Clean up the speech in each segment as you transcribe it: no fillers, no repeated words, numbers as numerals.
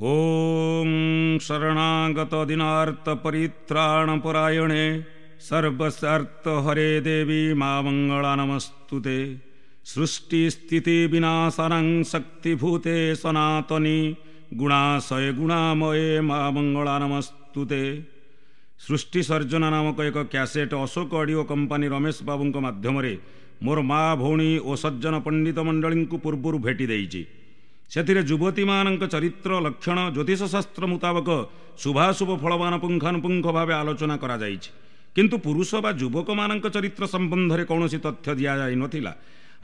ଓଁ ଶରଣାଗତ ଦିନାର୍ତ୍ତ ପରିତ୍ରାଣ ପରାୟଣେ ସର୍ବସ୍ୟାର୍ତ୍ତ ହରେ ଦେବୀ ମା ମଙ୍ଗଳା ନମସ୍ତୁତେ। ସୃଷ୍ଟି ସ୍ଥିତି ବିନାଶନାଂ ଶକ୍ତିଭୂତେ ସନାତନୀ ଗୁଣାଶୟ ଗୁଣାମୟେ ମା ମଙ୍ଗଳା ନମସ୍ତୁତେ। ସୃଷ୍ଟି ସର୍ଜନା ନାମକ ଏକ cassette Ashok audio company Ramesh ବାବୁଙ୍କ ମାଧ୍ୟମରେ ମୋର ମା, ଭଉଣୀ ଓ ସଜ୍ଜନ ପଣ୍ଡିତ ମଣ୍ଡଳୀଙ୍କୁ ପୂର୍ବରୁ ଭେଟି ଦେଇଛି। ସେଥିରେ ଯୁବତୀମାନଙ୍କ ଚରିତ୍ର ଲକ୍ଷଣ ଜ୍ୟୋତିଷଶାସ୍ତ୍ର ମୁତାବକ ଶୁଭାଶୁଭ ଫଳବାନ ପୁଙ୍ଖାନୁପୁଙ୍ଖ ଭାବେ ଆଲୋଚନା କରାଯାଇଛି। କିନ୍ତୁ ପୁରୁଷ ବା ଯୁବକମାନଙ୍କ ଚରିତ୍ର ସମ୍ବନ୍ଧରେ କୌଣସି ତଥ୍ୟ ଦିଆଯାଇନଥିଲା।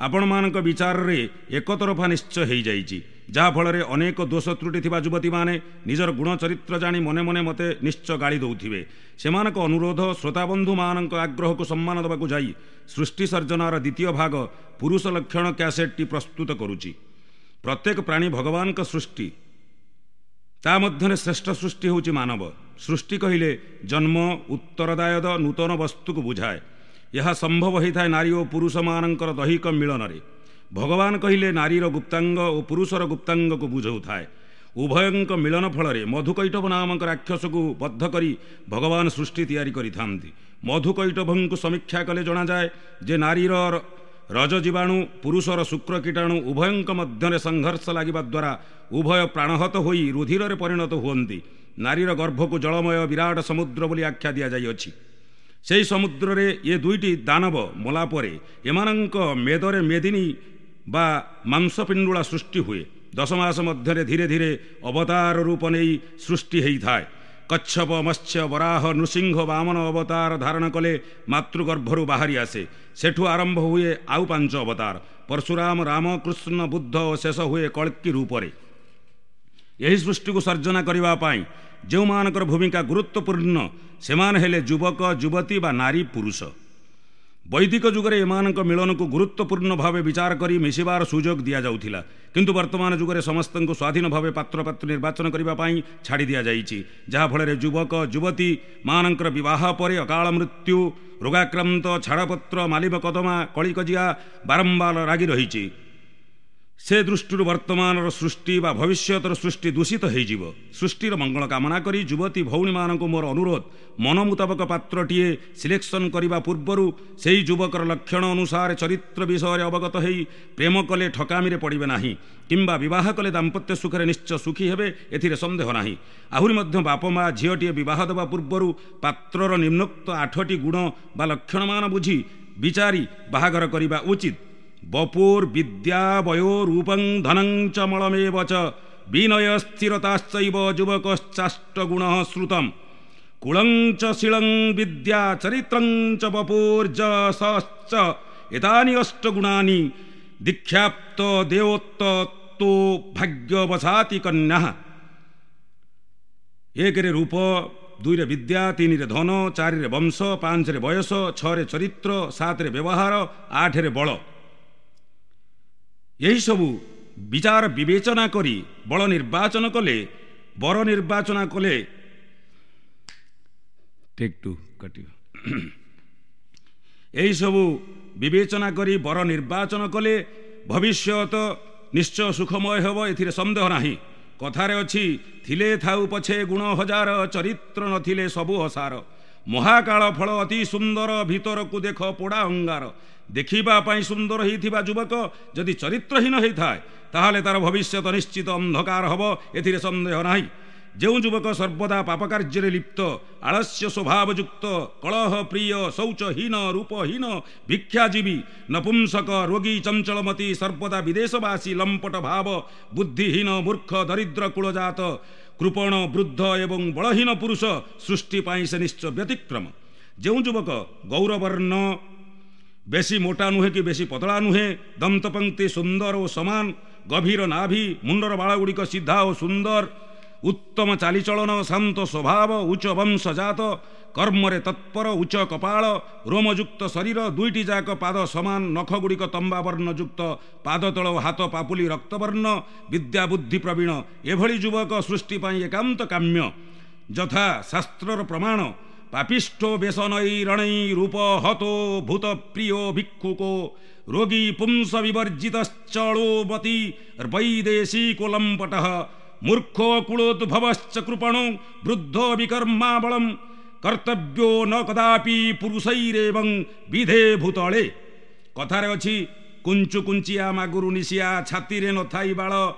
ଆପଣମାନଙ୍କ ବିଚାରରେ ଏକତରଫା ନିଶ୍ଚୟ ହେଇଯାଇଛି, ଯାହାଫଳରେ ଅନେକ ଦୋଷ ତ୍ରୁଟି ଥିବା ଯୁବତୀମାନେ ନିଜର ଗୁଣ ଚରିତ୍ର ଜାଣି ମନେ ମନେ ମୋତେ ନିଶ୍ଚୟ ଗାଳି ଦେଉଥିବେ। ସେମାନଙ୍କ ଅନୁରୋଧ, ଶ୍ରୋତାବନ୍ଧୁମାନଙ୍କ ଆଗ୍ରହକୁ ସମ୍ମାନ ଦେବାକୁ ଯାଇ ସୃଷ୍ଟି ସର୍ଜନାର ଦ୍ୱିତୀୟ ଭାଗ ପୁରୁଷ ଲକ୍ଷଣ କ୍ୟାସେଟ୍ଟି ପ୍ରସ୍ତୁତ କରୁଛି। ପ୍ରତ୍ୟେକ ପ୍ରାଣୀ ଭଗବାନଙ୍କ ସୃଷ୍ଟି, ତା ମଧ୍ୟରେ ଶ୍ରେଷ୍ଠ ସୃଷ୍ଟି ହେଉଛି ମାନବ। ସୃଷ୍ଟି କହିଲେ ଜନ୍ମ, ଉତ୍ତରଦାୟଦ, ନୂତନ ବସ୍ତୁକୁ ବୁଝାଏ। ଏହା ସମ୍ଭବ ହୋଇଥାଏ ନାରୀ ଓ ପୁରୁଷମାନଙ୍କର ଦୈହିକ ମିଳନରେ। ଭଗବାନ କହିଲେ ନାରୀର ଗୁପ୍ତାଙ୍ଗ ଓ ପୁରୁଷର ଗୁପ୍ତାଙ୍ଗକୁ ବୁଝାଉଥାଏ। ଉଭୟଙ୍କ ମିଳନ ଫଳରେ ମଧୁକୈଟଭ ନାମକ ରାକ୍ଷସକୁ ବଦ୍ଧ କରି ଭଗବାନ ସୃଷ୍ଟି ତିଆରି କରିଥାନ୍ତି। ମଧୁକୈଟଭଙ୍କୁ ସମୀକ୍ଷା କଲେ ଜଣାଯାଏ ଯେ ନାରୀର ରଜ ଜୀବାଣୁ, ପୁରୁଷର ଶୁକ୍ର କୀଟାଣୁ ଉଭୟଙ୍କ ମଧ୍ୟରେ ସଂଘର୍ଷ ଲାଗିବା ଦ୍ୱାରା ଉଭୟ ପ୍ରାଣହତ ହୋଇ ରୁଧିରରେ ପରିଣତ ହୁଅନ୍ତି। ନାରୀର ଗର୍ଭକୁ ଜଳମୟ ବିରାଟ ସମୁଦ୍ର ବୋଲି ଆଖ୍ୟା ଦିଆଯାଇଅଛି। ସେହି ସମୁଦ୍ରରେ ଏ ଦୁଇଟି ଦାନବ ମଲା ପରେ ଏମାନଙ୍କ ମେଦରେ ମେଦିନୀ ବା ମାଂସପିଣ୍ଡୁଳା ସୃଷ୍ଟି ହୁଏ। 10 ମାସ ମଧ୍ୟରେ ଧୀରେ ଧୀରେ ଅବତାର ରୂପ ନେଇ ସୃଷ୍ଟି ହେଇଥାଏ। କଚ୍ଛପ, ମତ୍ସ୍ୟ, ବରାହ, ନୃସିଂହ, ବାମନ ଅବତାର ଧାରଣ କଲେ ମାତୃଗର୍ଭରୁ ବାହାରି ଆସେ। ସେଠୁ ଆରମ୍ଭ ହୁଏ ଆଉ 5 ଅବତାର, ପରଶୁରାମ, ରାମ, କୃଷ୍ଣ, ବୁଦ୍ଧ ଓ ଶେଷ ହୁଏ କଳ୍କୀ ରୂପରେ। ଏହି ସୃଷ୍ଟିକୁ ସର୍ଜନା କରିବା ପାଇଁ ଯେଉଁମାନଙ୍କର ଭୂମିକା ଗୁରୁତ୍ୱପୂର୍ଣ୍ଣ ସେମାନେ ହେଲେ ଯୁବକ, ଯୁବତୀ ବା ନାରୀ, ପୁରୁଷ। ବୈଦିକ ଯୁଗରେ ଏମାନଙ୍କ ମିଳନକୁ ଗୁରୁତ୍ୱପୂର୍ଣ୍ଣ ଭାବେ ବିଚାର କରି ମିଶିବାର ସୁଯୋଗ ଦିଆଯାଉଥିଲା। କିନ୍ତୁ ବର୍ତ୍ତମାନ ଯୁଗରେ ସମସ୍ତଙ୍କୁ ସ୍ୱାଧୀନ ଭାବେ ପାତ୍ରପାତ୍ରୀ ନିର୍ବାଚନ କରିବା ପାଇଁ ଛାଡ଼ି ଦିଆଯାଇଛି, ଯାହାଫଳରେ ଯୁବକ ଯୁବତୀ ମାନଙ୍କର ବିବାହ ପରେ ଅକାଳ ମୃତ୍ୟୁ, ରୋଗାକ୍ରାନ୍ତ, ଛାଡ଼ପତ୍ର, ମାଲିବ କଦମା, କଳିକଜିଆ ବାରମ୍ବାର ଲାଗି ରହିଛି। ସେ ଦୃଷ୍ଟିରୁ ବର୍ତ୍ତମାନର ସୃଷ୍ଟି ବା ଭବିଷ୍ୟତର ସୃଷ୍ଟି ଦୂଷିତ ହୋଇଯିବ। ସୃଷ୍ଟିର ମଙ୍ଗଳ କାମନା କରି ଯୁବତୀ ଭଉଣୀମାନଙ୍କୁ ମୋର ଅନୁରୋଧ, ମନ ମୁତାବକ ପାତ୍ରଟିଏ ସିଲେକ୍ସନ୍ କରିବା ପୂର୍ବରୁ ସେହି ଯୁବକର ଲକ୍ଷଣ ଅନୁସାରେ ଚରିତ୍ର ବିଷୟରେ ଅବଗତ ହେଇ ପ୍ରେମ କଲେ ଠକାମିରେ ପଡ଼ିବେ ନାହିଁ, କିମ୍ବା ବିବାହ କଲେ ଦାମ୍ପତ୍ୟ ସୁଖରେ ନିଶ୍ଚୟ ସୁଖୀ ହେବେ, ଏଥିରେ ସନ୍ଦେହ ନାହିଁ। ଆହୁରି ମଧ୍ୟ ବାପ ମା ଝିଅଟିଏ ବିବାହ ଦେବା ପୂର୍ବରୁ ପାତ୍ରର ନିମ୍ନୋକ୍ତ 8ଟି ଗୁଣ ବା ଲକ୍ଷଣମାନ ବୁଝି ବିଚାରି ବାହାଘର କରିବା ଉଚିତ। ବପୁର୍ ବିଦ୍ୟା ବୟୋ ରୂପଂ ଧନଂ ଚ ମଳମେବ ଚ ବିନୟ ସ୍ଥିରତାଶ୍ଚୈବ ଯୁବକଶ୍ଚାଷ୍ଟଗୁଣ ଶ୍ରୁତମ୍। କୁଳଂ ଚ ଶୀଳଂ ବିଦ୍ୟା ଚରିତ୍ରଂ ଚ ବପୁର୍ଯଶଶ୍ଚ ଏତାନି ଅଷ୍ଟଗୁଣାନି ଦୀକ୍ଷାପ୍ତ ଦେଓତ୍ତୋ ଭାଗ୍ୟବଶାତି କନ୍ୟା। 1ରେ ରୂପ, 2ରେ ବିଦ୍ୟା, 3ରେ ଧନ, 4ରେ ବଂଶ, 5ରେ ବୟସ, 6ରେ ଚରିତ୍ର, 7ରେ ବ୍ୟବହାର, 8ରେ ବଳ। ଏହିସବୁ ବିଚାର ବିବେଚନା କରି ବଳ ନିର୍ବାଚନ କଲେ, ବର ନିର୍ବାଚନ କଲେ ଟେକ୍ ଟୁ କାଟିବ। ଏହିସବୁ ବିବେଚନା କରି ବର ନିର୍ବାଚନ କଲେ ଭବିଷ୍ୟତ ନିଶ୍ଚୟ ସୁଖମୟ ହେବ, ଏଥିରେ ସନ୍ଦେହ ନାହିଁ। କଥାରେ ଅଛି, ଥିଲେ ଥାଉ ପଛେ ଗୁଣ ହଜାର, ଚରିତ୍ର ନଥିଲେ ସବୁ ଅସାର। ମହାକାଳ ଫଳ ଅତି ସୁନ୍ଦର, ଭିତରକୁ ଦେଖ ପୋଡ଼ା ଅଙ୍ଗାର। ଦେଖିବା ପାଇଁ ସୁନ୍ଦର ହେଇଥିବା ଯୁବକ ଯଦି ଚରିତ୍ରହୀନ ହେଇଥାଏ, ତାହେଲେ ତାର ଭବିଷ୍ୟତ ନିଶ୍ଚିତ ଅନ୍ଧକାର ହେବ, ଏଥିରେ ସନ୍ଦେହ ନାହିଁ। ଯେଉଁ ଯୁବକ ସର୍ବଦା ପାପ କାର୍ଯ୍ୟରେ ଲିପ୍ତ, ଆଳସ୍ୟ ସ୍ୱଭାବଯୁକ୍ତ, କଳହ ପ୍ରିୟ, ଶୌଚହୀନ, ରୂପହୀନ, ଭିକ୍ଷାଜୀବୀ, ନପୁଂସକ, ରୋଗୀ, ଚଞ୍ଚଳମତି, ସର୍ବଦା ବିଦେଶବାସୀ, ଲମ୍ପଟ ଭାବ, ବୁଦ୍ଧିହୀନ, ମୂର୍ଖ, ଦରିଦ୍ର କୁଳଜାତ, କୃପଣ, ବୃଦ୍ଧ ଏବଂ ବଳହୀନ ପୁରୁଷ ସୃଷ୍ଟି ପାଇଁ ସେ ନିଶ୍ଚୟ ବ୍ୟତିକ୍ରମ। ଯେଉଁ ଯୁବକ ଗୌରବର୍ଣ୍ଣ, ବେଶୀ ମୋଟା ନୁହେଁ କି ବେଶୀ ପତଳା ନୁହେଁ, ଦନ୍ତପଙ୍କ୍ତି ସୁନ୍ଦର ଓ ସମାନ, ଗଭୀର ନାଭି, ମୁଣ୍ଡର ବାଳଗୁଡ଼ିକ ସିଧା ଓ ସୁନ୍ଦର, ଉତ୍ତମ ଚାଲିଚଳନ, ଶାନ୍ତ ସ୍ୱଭାବ, ଉଚ୍ଚ ବଂଶଜାତ, କର୍ମରେ ତତ୍ପର, ଉଚ୍ଚ କପାଳ, ରୋମଯୁକ୍ତ ଶରୀର, 2ଟି ଯାକ ପାଦ ସମାନ, ନଖଗୁଡ଼ିକ ତମ୍ବା ବର୍ଣ୍ଣଯୁକ୍ତ, ପାଦତଳ ଓ ହାତ ପାପୁଲି ରକ୍ତବର୍ଣ୍ଣ, ବିଦ୍ୟା ବୁଦ୍ଧି ପ୍ରବୀଣ, ଏଭଳି ଯୁବକ ସୃଷ୍ଟି ପାଇଁ ଏକାନ୍ତ କାମ୍ୟ। ଯଥା ଶାସ୍ତ୍ରର ପ୍ରମାଣ, ପାପିଷ୍ଠୋ ବେସନୈ ରଣୈ ରୂପ ହତୋ ଭୂତ ପ୍ରିୟ ଭିକ୍ଷୁକୋ ରୋଗୀ ପୁଂସ ବିବର୍ଜିତଶ୍ଚଳୋମତି ବୈଦେଶିକୋଲମ୍ପଟଃ ମୂର୍ଖ କୁଳୋଦ୍ଭବଶ୍ଚ କୃପଣୁ ବୃଦ୍ଧ ବିକର୍ମାବଳମ୍ କର୍ତ୍ତବ୍ୟୋ ନ କଦାପି ପୁରୁଷୈରେବଂ ବିଧେ ଭୂତଳେ। କଥାରେ ଅଛି, କୁଞ୍ଚୁ କୁଞ୍ଚିଆ ମାଗୁରୁ ନିଶିଆ ଛାତିରେ ନଥାଇ ବାଳ,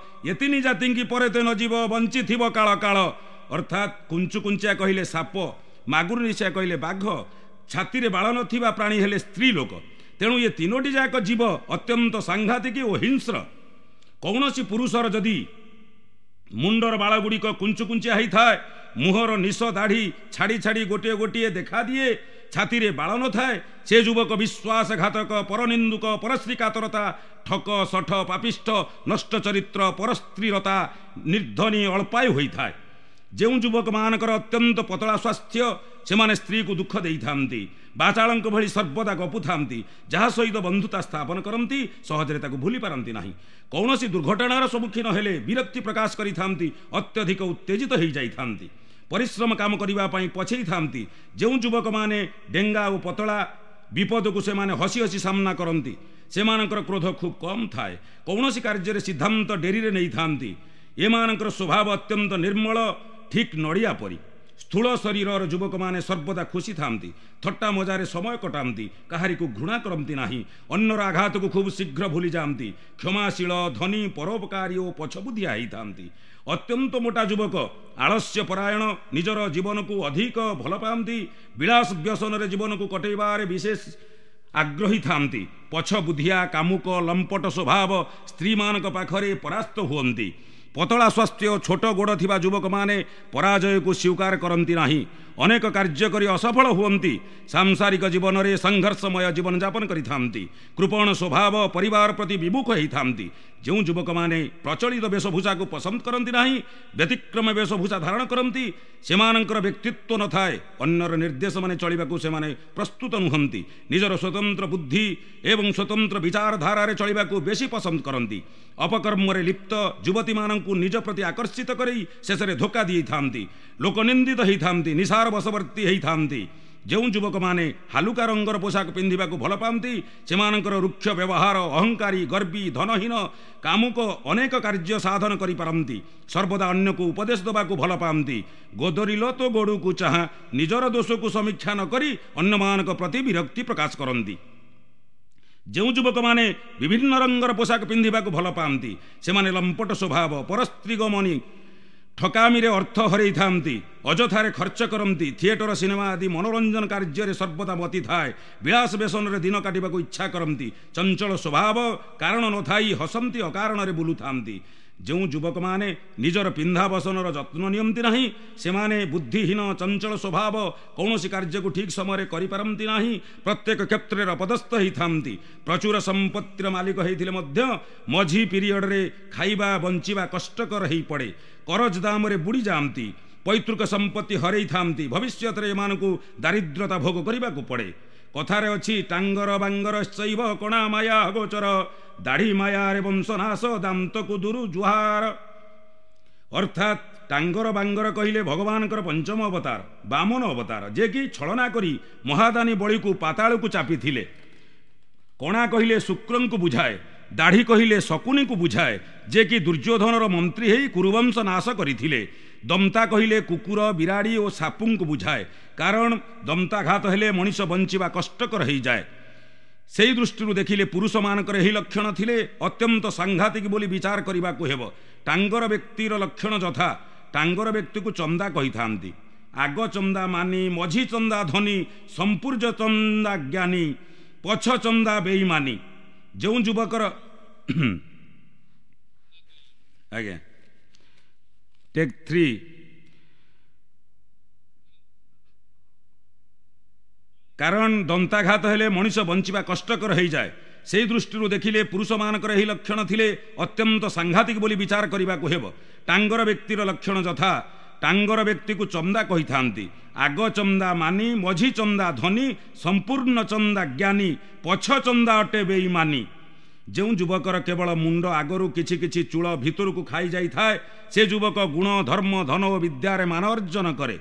ଏତିନି ଜାତିଙ୍କି ପରେ ତେ ନଯିବ ବଞ୍ଚିଥିବ କାଳ କାଳ। ଅର୍ଥାତ୍ କୁଞ୍ଚୁ କୁଞ୍ଚିଆ କହିଲେ ସାପ, ମାଗୁରୁ ନିଶିଆ କହିଲେ ବାଘ, ଛାତିରେ ବାଳ ନଥିବା ପ୍ରାଣୀ ହେଲେ ସ୍ତ୍ରୀ ଲୋକ। ତେଣୁ ଏ ତିନୋଟି ଯାକ ଜୀବ ଅତ୍ୟନ୍ତ ସାଂଘାତିକ ଓ ହିଂସ୍ର। କୌଣସି ପୁରୁଷର ଯଦି ମୁଣ୍ଡର ବାଳ ଗୁଡ଼ିକ କୁଞ୍ଚୁ କୁଞ୍ଚିଆ ହେଇଥାଏ, ମୁହଁର ନିଶ ଦାଢ଼ି ଛାଡ଼ି ଛାଡ଼ି ଗୋଟିଏ ଗୋଟିଏ ଦେଖାଦିଏ, ଛାତିରେ ବାଳ ନଥାଏ, ସେ ଯୁବକ ବିଶ୍ୱାସଘାତକ, ପରନିନ୍ଦୁକ, ପରଶ୍ରୀକାତରତା, ଠକ, ଶଠ, ପାପିଷ୍ଠ, ନଷ୍ଟ ଚରିତ୍ର, ପରସ୍ତ୍ରୀରତା, ନିର୍ଦ୍ଧନୀ, ଅଳ୍ପାୟୁ ହୋଇଥାଏ। ଯେଉଁ ଯୁବକମାନଙ୍କର ଅତ୍ୟନ୍ତ ପତଳା ସ୍ୱାସ୍ଥ୍ୟ, ସେମାନେ ସ୍ତ୍ରୀକୁ ଦୁଃଖ ଦେଇଥାନ୍ତି, ବାଚାଳଙ୍କ ଭଳି ସର୍ବଦା ଗପୁଥାନ୍ତି, ଯାହା ସହିତ ବନ୍ଧୁତା ସ୍ଥାପନ କରନ୍ତି ସହଜରେ ତାକୁ ଭୁଲି ପାରନ୍ତି ନାହିଁ, କୌଣସି ଦୁର୍ଘଟଣାର ସମ୍ମୁଖୀନ ହେଲେ ବିରକ୍ତି ପ୍ରକାଶ କରିଥାନ୍ତି, ଅତ୍ୟଧିକ ଉତ୍ତେଜିତ ହୋଇଯାଇଥାନ୍ତି, ପରିଶ୍ରମ କାମ କରିବା ପାଇଁ ପଛେଇଥାନ୍ତି। ଯେଉଁ ଯୁବକମାନେ ଡେଙ୍ଗା ଓ ପତଳା, ବିପଦକୁ ସେମାନେ ହସି ହସି ସାମ୍ନା କରନ୍ତି, ସେମାନଙ୍କର କ୍ରୋଧ ଖୁବ୍ କମ୍ ଥାଏ, କୌଣସି କାର୍ଯ୍ୟରେ ସିଦ୍ଧାନ୍ତ ଡେରିରେ ନେଇଥାନ୍ତି। ଏମାନଙ୍କର ସ୍ୱଭାବ ଅତ୍ୟନ୍ତ ନିର୍ମଳ, ଠିକ୍ ନଡ଼ିଆ ପରି। ସ୍ଥୂଳ ଶରୀରର ଯୁବକମାନେ ସର୍ବଦା ଖୁସି ଥାନ୍ତି, ଥଟ୍ଟା ମଜାରେ ସମୟ କଟାନ୍ତି, କାହାରିକୁ ଘୃଣା କରନ୍ତି ନାହିଁ, ଅନ୍ୟର ଆଘାତକୁ ଖୁବ୍ ଶୀଘ୍ର ଭୁଲିଯାଆନ୍ତି, କ୍ଷମାଶୀଳ, ଧନୀ, ପରୋପକାରୀ ଓ ପଛବୁଦ୍ଧିଆ ହେଇଥାନ୍ତି। ଅତ୍ୟନ୍ତ ମୋଟା ଯୁବକ ଆଳସ୍ୟ ପରାୟଣ, ନିଜର ଜୀବନକୁ ଅଧିକ ଭଲ ପାଆନ୍ତି, ବିଳାସ ବ୍ୟସନରେ ଜୀବନକୁ କଟେଇବାରେ ବିଶେଷ ଆଗ୍ରହୀ ଥାନ୍ତି, ପଛବୁଦ୍ଧିଆ, କାମୁକ, ଲମ୍ପଟ ସ୍ୱଭାବ, ସ୍ତ୍ରୀମାନଙ୍କ ପାଖରେ ପରାସ୍ତ ହୁଅନ୍ତି। ପତଳା ସ୍ୱାସ୍ଥ୍ୟ, ଛୋଟ ଗୋଡ଼ ଥିବା ଯୁବକମାନେ ପରାଜୟକୁ ସ୍ୱୀକାର କରନ୍ତି ନାହିଁ, ଅନେକ କାର୍ଯ୍ୟ କରି ଅସଫଳ ହୁଅନ୍ତି, ସାଂସାରିକ ଜୀବନରେ ସଂଘର୍ଷମୟ ଜୀବନଯାପନ କରିଥାନ୍ତି, କୃପଣ ସ୍ୱଭାବ, ପରିବାର ପ୍ରତି ବିମୁଖ ହେଇଥାନ୍ତି। ଯେଉଁ ଯୁବକମାନେ ପ୍ରଚଳିତ ବେଶଭୂଷାକୁ ପସନ୍ଦ କରନ୍ତି ନାହିଁ, ବ୍ୟତିକ୍ରମ ବେଶଭୂଷା ଧାରଣ କରନ୍ତି, ସେମାନଙ୍କର ବ୍ୟକ୍ତିତ୍ୱ ନଥାଏ, ଅନ୍ୟର ନିର୍ଦ୍ଦେଶମାନେ ଚଳିବାକୁ ସେମାନେ ପ୍ରସ୍ତୁତ ନୁହନ୍ତି, ନିଜର ସ୍ୱତନ୍ତ୍ର ବୁଦ୍ଧି ଏବଂ ସ୍ୱତନ୍ତ୍ର ବିଚାରଧାରାରେ ଚଳିବାକୁ ବେଶୀ ପସନ୍ଦ କରନ୍ତି, ଅପକର୍ମରେ ଲିପ୍ତ ଯୁବତୀମାନଙ୍କୁ ନିଜ ପ୍ରତି ଆକର୍ଷିତ କରି ଶେଷରେ ଧୋକା ଦେଇଥାନ୍ତି, ଲୋକନିନ୍ଦିତ ହେଇଥାନ୍ତି, ନିଶାର ବଶବର୍ତ୍ତୀ ହେଇଥାନ୍ତି। ଯେଉଁ ଯୁବକମାନେ ହାଲୁକା ରଙ୍ଗର ପୋଷାକ ପିନ୍ଧିବାକୁ ଭଲ ପାଆନ୍ତି, ସେମାନଙ୍କର ରୁକ୍ଷ ବ୍ୟବହାର, ଅହଙ୍କାରୀ, ଗର୍ବୀ, ଧନହୀନ, କାମୁକ, ଅନେକ କାର୍ଯ୍ୟ ସାଧନ କରିପାରନ୍ତି, ସର୍ବଦା ଅନ୍ୟକୁ ଉପଦେଶ ଦେବାକୁ ଭଲ ପାଆନ୍ତି, ଗୋଦରିଲ ତ ଗୋଡ଼କୁ ଚାହାଁ, ନିଜର ଦୋଷକୁ ସମୀକ୍ଷା ନ କରି ଅନ୍ୟମାନଙ୍କ ପ୍ରତି ବିରକ୍ତି ପ୍ରକାଶ କରନ୍ତି। ଯେଉଁ ଯୁବକମାନେ ବିଭିନ୍ନ ରଙ୍ଗର ପୋଷାକ ପିନ୍ଧିବାକୁ ଭଲ ପାଆନ୍ତି, ସେମାନେ ଲମ୍ପଟ ସ୍ୱଭାବ, ପରସ୍ତ୍ରୀଗମନୀ, ଠକାମିରେ ଅର୍ଥ ହରେଇଥାନ୍ତି, ଅଯଥାରେ ଖର୍ଚ୍ଚ କରନ୍ତି, ଥିଏଟର, ସିନେମା ଆଦି ମନୋରଞ୍ଜନ କାର୍ଯ୍ୟରେ ସର୍ବଦା ମତି ଥାଏ, ବିଳାସ ବ୍ୟସନରେ ଦିନ କାଟିବାକୁ ଇଚ୍ଛା କରନ୍ତି, ଚଞ୍ଚଳ ସ୍ୱଭାବ, କାରଣ ନଥାଇ ହସନ୍ତି, ଅକାରଣରେ ବୁଲୁଥାନ୍ତି। ଯେଉଁ ଯୁବକମାନେ ନିଜର ପିନ୍ଧା ବସନର ଯତ୍ନ ନିଅନ୍ତି ନାହିଁ, ସେମାନେ ବୁଦ୍ଧିହୀନ, ଚଞ୍ଚଳ ସ୍ୱଭାବ, କୌଣସି କାର୍ଯ୍ୟକୁ ଠିକ୍ ସମୟରେ କରିପାରନ୍ତି ନାହିଁ, ପ୍ରତ୍ୟେକ କ୍ଷେତ୍ରରେ ଅପଦସ୍ଥ ହେଇଥାନ୍ତି, ପ୍ରଚୁର ସମ୍ପତ୍ତିର ମାଲିକ ହେଇଥିଲେ ମଧ୍ୟ ମଝି ପିରିୟଡ଼ରେ ଖାଇବା ବଞ୍ଚିବା କଷ୍ଟକର ହେଇପଡ଼େ, କରଜ ଦାମରେ ବୁଡ଼ି ଯାଆନ୍ତି, ପୈତୃକ ସମ୍ପତ୍ତି ହରେଇଥାନ୍ତି, ଭବିଷ୍ୟତରେ ଏମାନଙ୍କୁ ଦାରିଦ୍ରତା ଭୋଗ କରିବାକୁ ପଡ଼େ। କଥାରେ ଅଛି, ଟାଙ୍ଗର ବାଙ୍ଗର ଶୈବ କଣା ମାୟା ଗୋଚର, ଦାଢ଼ି ମାୟାରେ ବଂଶନାଶ, ଦାନ୍ତକୁ ଦୁରୁ ଜୁହାର। ଅର୍ଥାତ୍ ଟାଙ୍ଗର ବାଙ୍ଗର କହିଲେ ଭଗବାନଙ୍କର ପଞ୍ଚମ ଅବତାର ବାମନ ଅବତାର, ଯେ କି ଛଳନା କରି ମହାଦାନୀ ବଳିକୁ ପାତାଳକୁ ଚାପିଥିଲେ। କଣା କହିଲେ ଶୁକ୍ରଙ୍କୁ ବୁଝାଏ, ଦାଢ଼ି କହିଲେ ଶକୁନିକୁ ବୁଝାଏ, ଯେ କି ଦୁର୍ଯ୍ୟୋଧନର ମନ୍ତ୍ରୀ ହେଇ କୁରୁବଂଶ ନାଶ କରିଥିଲେ। ଦନ୍ତା କହିଲେ କୁକୁର, ବିରାଡ଼ି ଓ ସାପୁଙ୍କୁ ବୁଝାଏ, କାରଣ ଦନ୍ତାଘାତ ହେଲେ ମଣିଷ ବଞ୍ଚିବା କଷ୍ଟକର ହେଇଯାଏ। ସେଇ ଦୃଷ୍ଟିରୁ ଦେଖିଲେ ପୁରୁଷମାନଙ୍କର ଏହି ଲକ୍ଷଣ ଥିଲେ ଅତ୍ୟନ୍ତ ସାଂଘାତିକ ବୋଲି ବିଚାର କରିବାକୁ ହେବ। ଟାଙ୍ଗର ବ୍ୟକ୍ତିର ଲକ୍ଷଣ ଯଥା, ଟାଙ୍ଗର ବ୍ୟକ୍ତିକୁ ଚନ୍ଦା କହିଥାନ୍ତି, ଆଗ ଚନ୍ଦା ମାନି, ମଝି ଚନ୍ଦା ଧନୀ, ସମ୍ପୂର୍ଣ୍ଣ ଚନ୍ଦା ଜ୍ଞାନୀ, ପଛ ଚନ୍ଦା ବେଇମାନି। ଯେଉଁ ଯୁବକର ଆଜ୍ଞା ଟେକ୍ 3, କାରଣ ଦନ୍ତାଘାତ ହେଲେ ମଣିଷ ବଞ୍ଚିବା କଷ୍ଟକର ହେଇଯାଏ। ସେଇ ଦୃଷ୍ଟିରୁ ଦେଖିଲେ ପୁରୁଷମାନଙ୍କର ଏହି ଲକ୍ଷଣ ଥିଲେ ଅତ୍ୟନ୍ତ ସାଂଘାତିକ ବୋଲି ବିଚାର କରିବାକୁ ହେବ। ଟାଙ୍ଗର ବ୍ୟକ୍ତିର ଲକ୍ଷଣ ଯଥା, ଟାଙ୍ଗର ବ୍ୟକ୍ତିକୁ ଚନ୍ଦା କହିଥାନ୍ତି, ଆଗ ଚନ୍ଦା ମାନି, ମଝି ଚନ୍ଦା ଧନୀ, ସମ୍ପୂର୍ଣ୍ଣ ଚନ୍ଦା ଜ୍ଞାନୀ, ପଛ ଚନ୍ଦା ଅଟେ ବେଇମାନି। ଯେଉଁ ଯୁବକର କେବଳ ମୁଣ୍ଡ ଆଗରୁ କିଛି କିଛି ଚୂଳ ଭିତରକୁ ଖାଇଯାଇଥାଏ, ସେ ଯୁବକ ଗୁଣ, ଧର୍ମ, ଧନ ଓ ବିଦ୍ୟାରେ ମାନ ଅର୍ଜନ କରେ।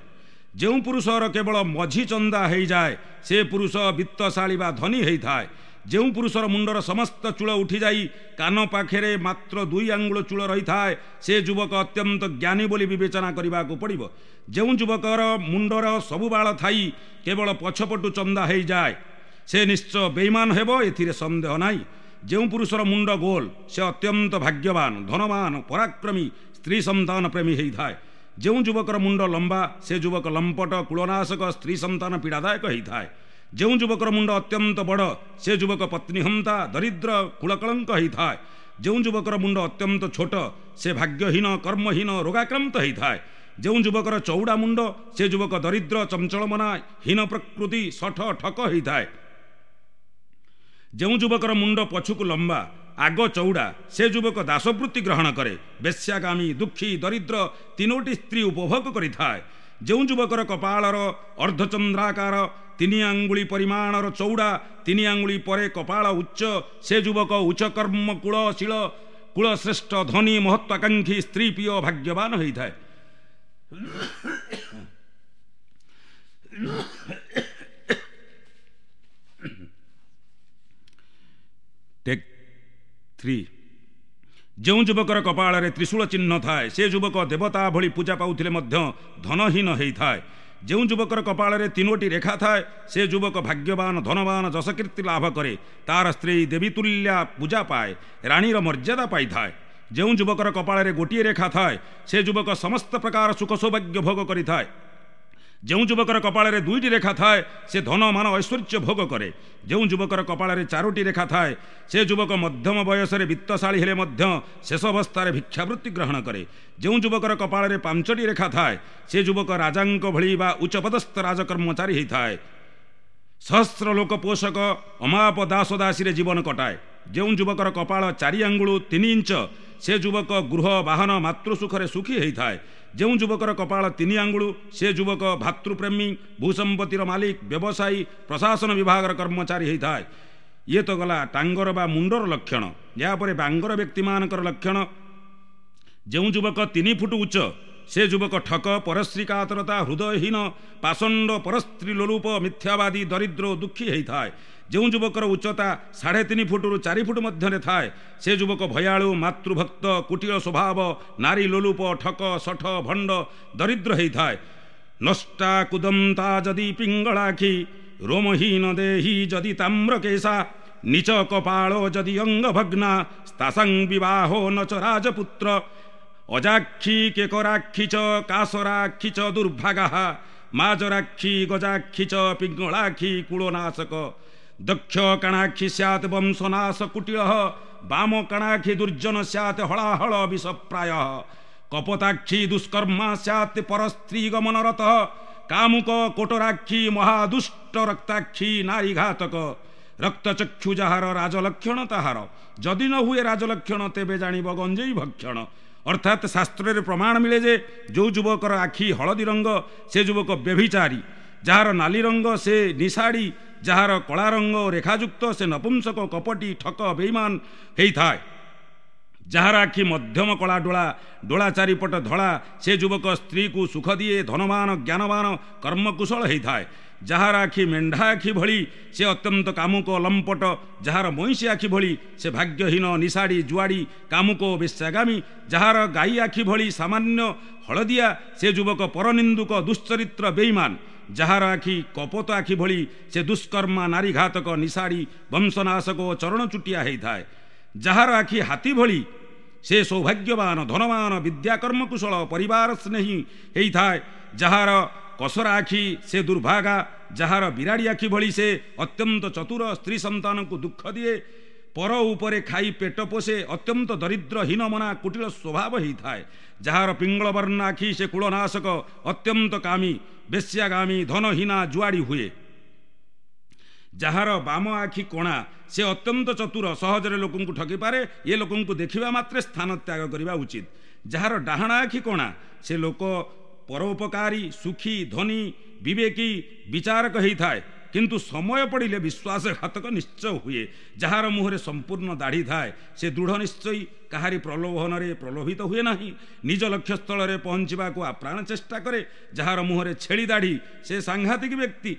ଯେଉଁ ପୁରୁଷର କେବଳ ମଝି ଚନ୍ଦା ହେଇଯାଏ, ସେ ପୁରୁଷ ବିତ୍ତଶାଳୀ ବା ଧନୀ ହେଇଥାଏ। ଯେଉଁ ପୁରୁଷର ମୁଣ୍ଡର ସମସ୍ତ ଚୂଳ ଉଠିଯାଇ କାନ ପାଖରେ ମାତ୍ର 2 ଆଙ୍ଗୁଳ ଚୂଳ ରହିଥାଏ, ସେ ଯୁବକ ଅତ୍ୟନ୍ତ ଜ୍ଞାନୀ ବୋଲି ବିବେଚନା କରିବାକୁ ପଡ଼ିବ। ଯେଉଁ ଯୁବକର ମୁଣ୍ଡର ସବୁ ବାଳ ଥାଇ କେବଳ ପଛପଟୁ ଚନ୍ଦା ହେଇଯାଏ, ସେ ନିଶ୍ଚୟ ବେଇମାନ ହେବ, ଏଥିରେ ସନ୍ଦେହ ନାହିଁ। ଯେଉଁ ପୁରୁଷର ମୁଣ୍ଡ ଗୋଲ, ସେ ଅତ୍ୟନ୍ତ ଭାଗ୍ୟବାନ, ଧନବାନ, ପରାକ୍ରମୀ, ସ୍ତ୍ରୀ ସନ୍ତାନ ପ୍ରେମୀ ହେଇଥାଏ। ଯେଉଁ ଯୁବକର ମୁଣ୍ଡ ଲମ୍ବା, ସେ ଯୁବକ ଲମ୍ପଟ, କୁଳନାଶକ, ସ୍ତ୍ରୀ ସନ୍ତାନ ପୀଡ଼ାଦାୟକ ହେଇଥାଏ। ଯେଉଁ ଯୁବକର ମୁଣ୍ଡ ଅତ୍ୟନ୍ତ ବଡ଼, ସେ ଯୁବକ ପତ୍ନୀହନ୍ତା, ଦରିଦ୍ର, କୁଳକଳଙ୍କ ହେଇଥାଏ। ଯେଉଁ ଯୁବକର ମୁଣ୍ଡ ଅତ୍ୟନ୍ତ ଛୋଟ, ସେ ଭାଗ୍ୟହୀନ, କର୍ମହୀନ, ରୋଗାକ୍ରାନ୍ତ ହେଇଥାଏ। ଯେଉଁ ଯୁବକର ଚଉଡ଼ା ମୁଣ୍ଡ, ସେ ଯୁବକ ଦରିଦ୍ର, ଚଞ୍ଚଳମନା, ହୀନ ପ୍ରକୃତି, ଶଠ, ଠକ ହେଇଥାଏ। ଯେଉଁ ଯୁବକର ମୁଣ୍ଡ ପଛକୁ ଲମ୍ବା, ଆଗ ଚଉଡ଼ା, ସେ ଯୁବକ ଦାସବୃତ୍ତି ଗ୍ରହଣ କରେ, ବେଶ୍ୟାଗାମୀ, ଦୁଃଖୀ, ଦରିଦ୍ର, 3ଟି ସ୍ତ୍ରୀ ଉପଭୋଗ କରିଥାଏ। ଯେଉଁ ଯୁବକର କପାଳର ଅର୍ଦ୍ଧଚନ୍ଦ୍ରାକାର, 3 ଆଙ୍ଗୁଳି ପରିମାଣର ଚଉଡ଼ା, 3 ଆଙ୍ଗୁଳି ପରେ କପାଳ ଉଚ୍ଚ, ସେ ଯୁବକ ଉଚ୍ଚକର୍ମ, କୁଳଶୀଳ, କୁଳଶ୍ରେଷ୍ଠ, ଧନୀ, ମହତ୍ୱାକାଂକ୍ଷୀ, ସ୍ତ୍ରୀ ପ୍ରିୟ, ଭାଗ୍ୟବାନ ହେଇଥାଏ। ଟେକ୍ 3। ଯେଉଁ ଯୁବକର କପାଳରେ ତ୍ରିଶୂଳ ଚିହ୍ନ ଥାଏ, ସେ ଯୁବକ ଦେବତା ଭଳି ପୂଜା ପାଉଥିଲେ ମଧ୍ୟ ଧନହୀନ ହେଇଥାଏ। ଯେଉଁ ଯୁବକର କପାଳରେ 3ଟି ରେଖା ଥାଏ, ସେ ଯୁବକ ଭାଗ୍ୟବାନ, ଧନବାନ, ଯଶକୀର୍ତ୍ତି ଲାଭ କରେ, ତାର ସ୍ତ୍ରୀ ଦେବୀତୁଲ୍ୟା ପୂଜା ପାଏ, ରାଣୀର ମର୍ଯ୍ୟାଦା ପାଇଥାଏ। ଯେଉଁ ଯୁବକର କପାଳରେ ଗୋଟିଏ ରେଖା ଥାଏ, ସେ ଯୁବକ ସମସ୍ତ ପ୍ରକାର ସୁଖ ସୌଭାଗ୍ୟ ଭୋଗ କରିଥାଏ। ଯେଉଁ ଯୁବକର କପାଳରେ 2ଟି ରେଖା ଥାଏ, ସେ ଧନ, ମାନ, ଐଶ୍ୱର୍ଯ୍ୟ ଭୋଗ କରେ। ଯେଉଁ ଯୁବକର କପାଳରେ 4ଟି ରେଖା ଥାଏ, ସେ ଯୁବକ ମଧ୍ୟମ ବୟସରେ ବିତ୍ତଶାଳୀ ହେଲେ ମଧ୍ୟ ଶେଷ ଅବସ୍ଥାରେ ଭିକ୍ଷାବୃତ୍ତି ଗ୍ରହଣ କରେ। ଯେଉଁ ଯୁବକର କପାଳରେ 5ଟି ରେଖା ଥାଏ, ସେ ଯୁବକ ରାଜାଙ୍କ ଭଳି ବା ଉଚ୍ଚପଦସ୍ଥ ରାଜକର୍ମଚାରୀ ହେଇଥାଏ, ସହସ୍ର ଲୋକ ପୋଷକ, ଅମାପ ଦାସଦାସୀରେ ଜୀବନ କଟାଏ। ଯେଉଁ ଯୁବକର କପାଳ 4 ଆଙ୍ଗୁଳ 3 ଇଞ୍ଚ, ସେ ଯୁବକ ଗୃହ, ବାହନ, ମାତୃସୁଖରେ ସୁଖୀ ହେଇଥାଏ। ଯେଉଁ ଯୁବକର କପାଳ 3 ଆଙ୍ଗୁଳ, ସେ ଯୁବକ ଭାତୃପ୍ରେମୀ, ଭୂସମ୍ପତ୍ତିର ମାଲିକ, ବ୍ୟବସାୟୀ, ପ୍ରଶାସନ ବିଭାଗର କର୍ମଚାରୀ ହେଇଥାଏ। ଇଏ ତ ଗଲା ଟାଙ୍ଗର ବା ମୁଣ୍ଡର ଲକ୍ଷଣ। ଏହାପରେ ବାଙ୍ଗର ବ୍ୟକ୍ତିମାନଙ୍କର ଲକ୍ଷଣ। ଯେଉଁ ଯୁବକ 3 ଫୁଟ ଉଚ୍ଚ, ସେ ଯୁବକ ଠକ, ପରଶ୍ରୀକାତରତା, ହୃଦୟହୀନ, ପାଷଣ୍ଡ, ପରସ୍ତ୍ରୀ ଲୋଲୁପ, ମିଥ୍ୟାବାଦୀ, ଦରିଦ୍ର ଓ ଦୁଃଖୀ ହେଇଥାଏ। ଯେଉଁ ଯୁବକର ଉଚ୍ଚତା 3.5 ଫୁଟରୁ 4 ଫୁଟ ମଧ୍ୟରେ ଥାଏ, ସେ ଯୁବକ ଭୟାଳୁ, ମାତୃଭକ୍ତ, କୁଟିଳ ସ୍ୱଭାବ, ନାରୀ ଲୋଲୁପ, ଠକ, ଶଠ, ଭଣ୍ଡ, ଦରିଦ୍ର ହେଇଥାଏ। ନଷ୍ଟା କୁଦନ୍ତା ଯଦି ପିଙ୍ଗଳାଖି, ରୋମହୀନ ଦେହି ଯଦି ତାମ୍ରକେଶା, ନିଚ କପାଳ ଯଦି ଅଙ୍ଗଭଗ୍ନା, ସ୍ତାସାଂ ବିବାହ ନ ଚ ରାଜପୁତ୍ର, ଅଜାକ୍ଷୀ କେକରାକ୍ଷୀ ଚ କାସରାକ୍ଷୀ ଚ ଦୁର୍ଭାଗା, ମାଜରାକ୍ଷୀ ଗଜାକ୍ଷୀ ଚ ପିଙ୍ଗଳାକ୍ଷୀ କୁଳନାଶକ, ଦକ୍ଷ କାଣାକ୍ଷୀ ସ୍ୟାତ୍ ବଂଶନାଶ କୁଟିଳ, ବାମ କାଣାକ୍ଷୀ ଦୁର୍ଜନ ସ୍ୟାତ୍ ହଳାହଳ ବିଷପ୍ରାୟ, କପତାକ୍ଷୀ ଦୁଷ୍କର୍ମା ସ୍ୟାତ୍ ପରସ୍ତ୍ରୀ ଗମନରତ, କାମୁକ କୋଟରାକ୍ଷୀ ମହାଦୁଷ୍ଟ ରକ୍ତାକ୍ଷୀ ନାରୀଘାତକ, ରକ୍ତଚକ୍ଷୁ ଯାହାର ରାଜଲକ୍ଷଣ ତାହାର, ଯଦି ନ ହୁଏ ରାଜଲକ୍ଷଣ ତେବେ ଜାଣିବ ଗଞ୍ଜେଇ ଭକ୍ଷଣ। ଅର୍ଥାତ୍ ଶାସ୍ତ୍ରରେ ପ୍ରମାଣ ମିଳେ ଯେ ଯେଉଁ ଯୁବକର ଆଖି ହଳଦୀ ରଙ୍ଗ, ସେ ଯୁବକ ବ୍ୟଭିଚାରୀ, ଯାହାର ନାଲି ରଙ୍ଗ ସେ ନିଶାଡ଼ି, ଯାହାର କଳା ରଙ୍ଗ ରେଖାଯୁକ୍ତ ସେ ନପୁଂସକ, କପଟି, ଠକ, ବେଇମାନ ହେଇଥାଏ। ଯାହାର ଆଖି ମଧ୍ୟମ କଳା ଡୋଳା, ଡୋଳା ଚାରିପଟ ଧଳା, ସେ ଯୁବକ ସ୍ତ୍ରୀକୁ ସୁଖ ଦିଏ, ଧନବାନ, ଜ୍ଞାନବାନ, କର୍ମକୁଶଳ ହେଇଥାଏ। ଯାହାର ଆଖି ମେଣ୍ଢା ଆଖି ଭଳି, ସେ ଅତ୍ୟନ୍ତ କାମୁକ, ଲମ୍ପଟ। ଯାହାର ମଇଁଷି ଆଖି ଭଳି, ସେ ଭାଗ୍ୟହୀନ, ନିଶାଡ଼ି, ଜୁଆଡ଼ି, କାମୁକ, ବେଶ୍ୟାଗାମୀ। ଯାହାର ଗାଈ ଆଖି ଭଳି ସାମାନ୍ୟ ହଳଦିଆ, ସେ ଯୁବକ ପରନିନ୍ଦୁକ, ଦୁଶ୍ଚରିତ୍ର, ବେଇମାନ। ଯାହାର ଆଖି କପୋତ ଆଖି ଭଳି, ସେ ଦୁଷ୍କର୍ମା, ନାରୀଘାତକ, ନିଶାଡ଼ି, ବଂଶନାଶକ ଓ ଚରଣଚୁଟିଆ ହେଇଥାଏ। ଯାହାର ଆଖି ହାତୀ ଭଳି, ସେ ସୌଭାଗ୍ୟବାନ, ଧନବାନ, ବିଦ୍ୟାକର୍ମକୁଶଳ, ପରିବାର ସ୍ନେହୀ ହେଇଥାଏ। ଯାହାର କସରା ଆଖି ସେ ଦୁର୍ଭାଗା। ଯାହାର ବିରାଡ଼ି ଆଖି ଭଳି, ସେ ଅତ୍ୟନ୍ତ ଚତୁର, ସ୍ତ୍ରୀ ସନ୍ତାନକୁ ଦୁଃଖ ଦିଏ, ପର ଉପରେ ଖାଇ ପେଟ ପୋଷେ, ଅତ୍ୟନ୍ତ ଦରିଦ୍ର, ହୀନମନା, କୁଟିଳ ସ୍ୱଭାବ ହେଇଥାଏ। ଯାହାର ପିଙ୍ଗଳବର୍ଣ୍ଣ ଆଖି, ସେ କୁଳନାଶକ, ଅତ୍ୟନ୍ତ କାମୀ, ବେଶ୍ୟାଗାମୀ, ଧନହୀନା, ଜୁଆଡ଼ି ହୁଏ। ଯାହାର ବାମ ଆଖି କଣା, ସେ ଅତ୍ୟନ୍ତ ଚତୁର, ସହଜରେ ଲୋକଙ୍କୁ ଠକିପାରେ, ଏ ଲୋକଙ୍କୁ ଦେଖିବା ମାତ୍ରେ ସ୍ଥାନ ତ୍ୟାଗ କରିବା ଉଚିତ। ଯାହାର ଡାହାଣ ଆଖି କଣା, ସେ ଲୋକ ପରୋପକାରୀ, ସୁଖୀ, ଧନୀ, ବିବେକୀ, ବିଚାରକ ହେଇଥାଏ, କିନ୍ତୁ ସମୟ ପଡ଼ିଲେ ବିଶ୍ୱାସଘାତକ ନିଶ୍ଚୟ ହୁଏ। ଯାହାର ମୁହଁରେ ସମ୍ପୂର୍ଣ୍ଣ ଦାଢ଼ି ଥାଏ, ସେ ଦୃଢ଼ ନିଶ୍ଚୟୀ, କାହାରି ପ୍ରଲୋଭନରେ ପ୍ରଲୋଭିତ ହୁଏ ନାହିଁ, ନିଜ ଲକ୍ଷ୍ୟସ୍ଥଳରେ ପହଞ୍ଚିବାକୁ ଆପ୍ରାଣ ଚେଷ୍ଟା କରେ। ଯାହାର ମୁହଁରେ ଛେଳି ଦାଢ଼ି, ସେ ସାଂଘାତିକ ବ୍ୟକ୍ତି,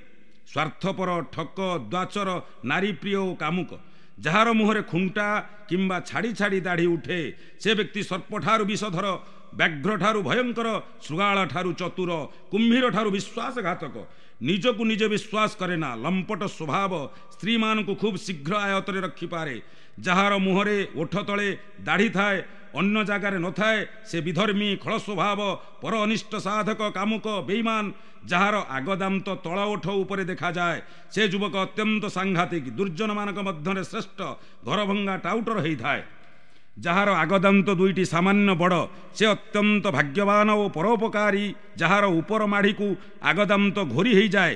ସ୍ୱାର୍ଥପର, ଠକ, ଦ୍ୱାଚର, ନାରୀପ୍ରିୟ ଓ କାମୁକ। ଯାହାର ମୁହଁରେ ଖୁଣ୍ଟା କିମ୍ବା ଛାଡ଼ି ଛାଡ଼ି ଦାଢ଼ି ଉଠେ, ସେ ବ୍ୟକ୍ତି ସର୍ପଠାରୁ ବିଷଧର, ବ୍ୟାଘ୍ରଠାରୁ ଭୟଙ୍କର, ଶୃଗାଳଠାରୁ ଚତୁର, କୁମ୍ଭୀରଠାରୁ ବିଶ୍ୱାସଘାତକ। ନିଜକୁ ନିଜେ ବିଶ୍ୱାସ କରେ ନା, ଲମ୍ପଟ ସ୍ୱଭାବ, ସ୍ତ୍ରୀମାନଙ୍କୁ ଖୁବ୍ ଶୀଘ୍ର ଆୟତରେ ରଖିପାରେ। ଯାହାର ମୁହଁରେ ଓଠ ତଳେ ଦାଢ଼ି ଥାଏ, ଅନ୍ୟ ଜାଗାରେ ନଥାଏ, ସେ ବିଧର୍ମୀ, ଖଳ ସ୍ୱଭାବ, ପର ଅନିଷ୍ଟ ସାଧକ, କାମୁକ, ବେଇମାନ। ଯାହାର ଆଗଦାନ୍ତ ତଳ ଓଠ ଉପରେ ଦେଖାଯାଏ, ସେ ଯୁବକ ଅତ୍ୟନ୍ତ ସାଂଘାତିକ, ଦୁର୍ଜନମାନଙ୍କ ମଧ୍ୟରେ ଶ୍ରେଷ୍ଠ, ଘରଭଙ୍ଗା ଟାଉଟର ହେଇଥାଏ। ଯାହାର ଆଗଦାନ୍ତ ଦୁଇଟି ସାମାନ୍ୟ ବଡ଼, ସେ ଅତ୍ୟନ୍ତ ଭାଗ୍ୟବାନ ଓ ପରୋପକାରୀ। ଯାହାର ଉପର ମାଢ଼ିକୁ ଆଗଦାନ୍ତ ଘୋରି ହେଇଯାଏ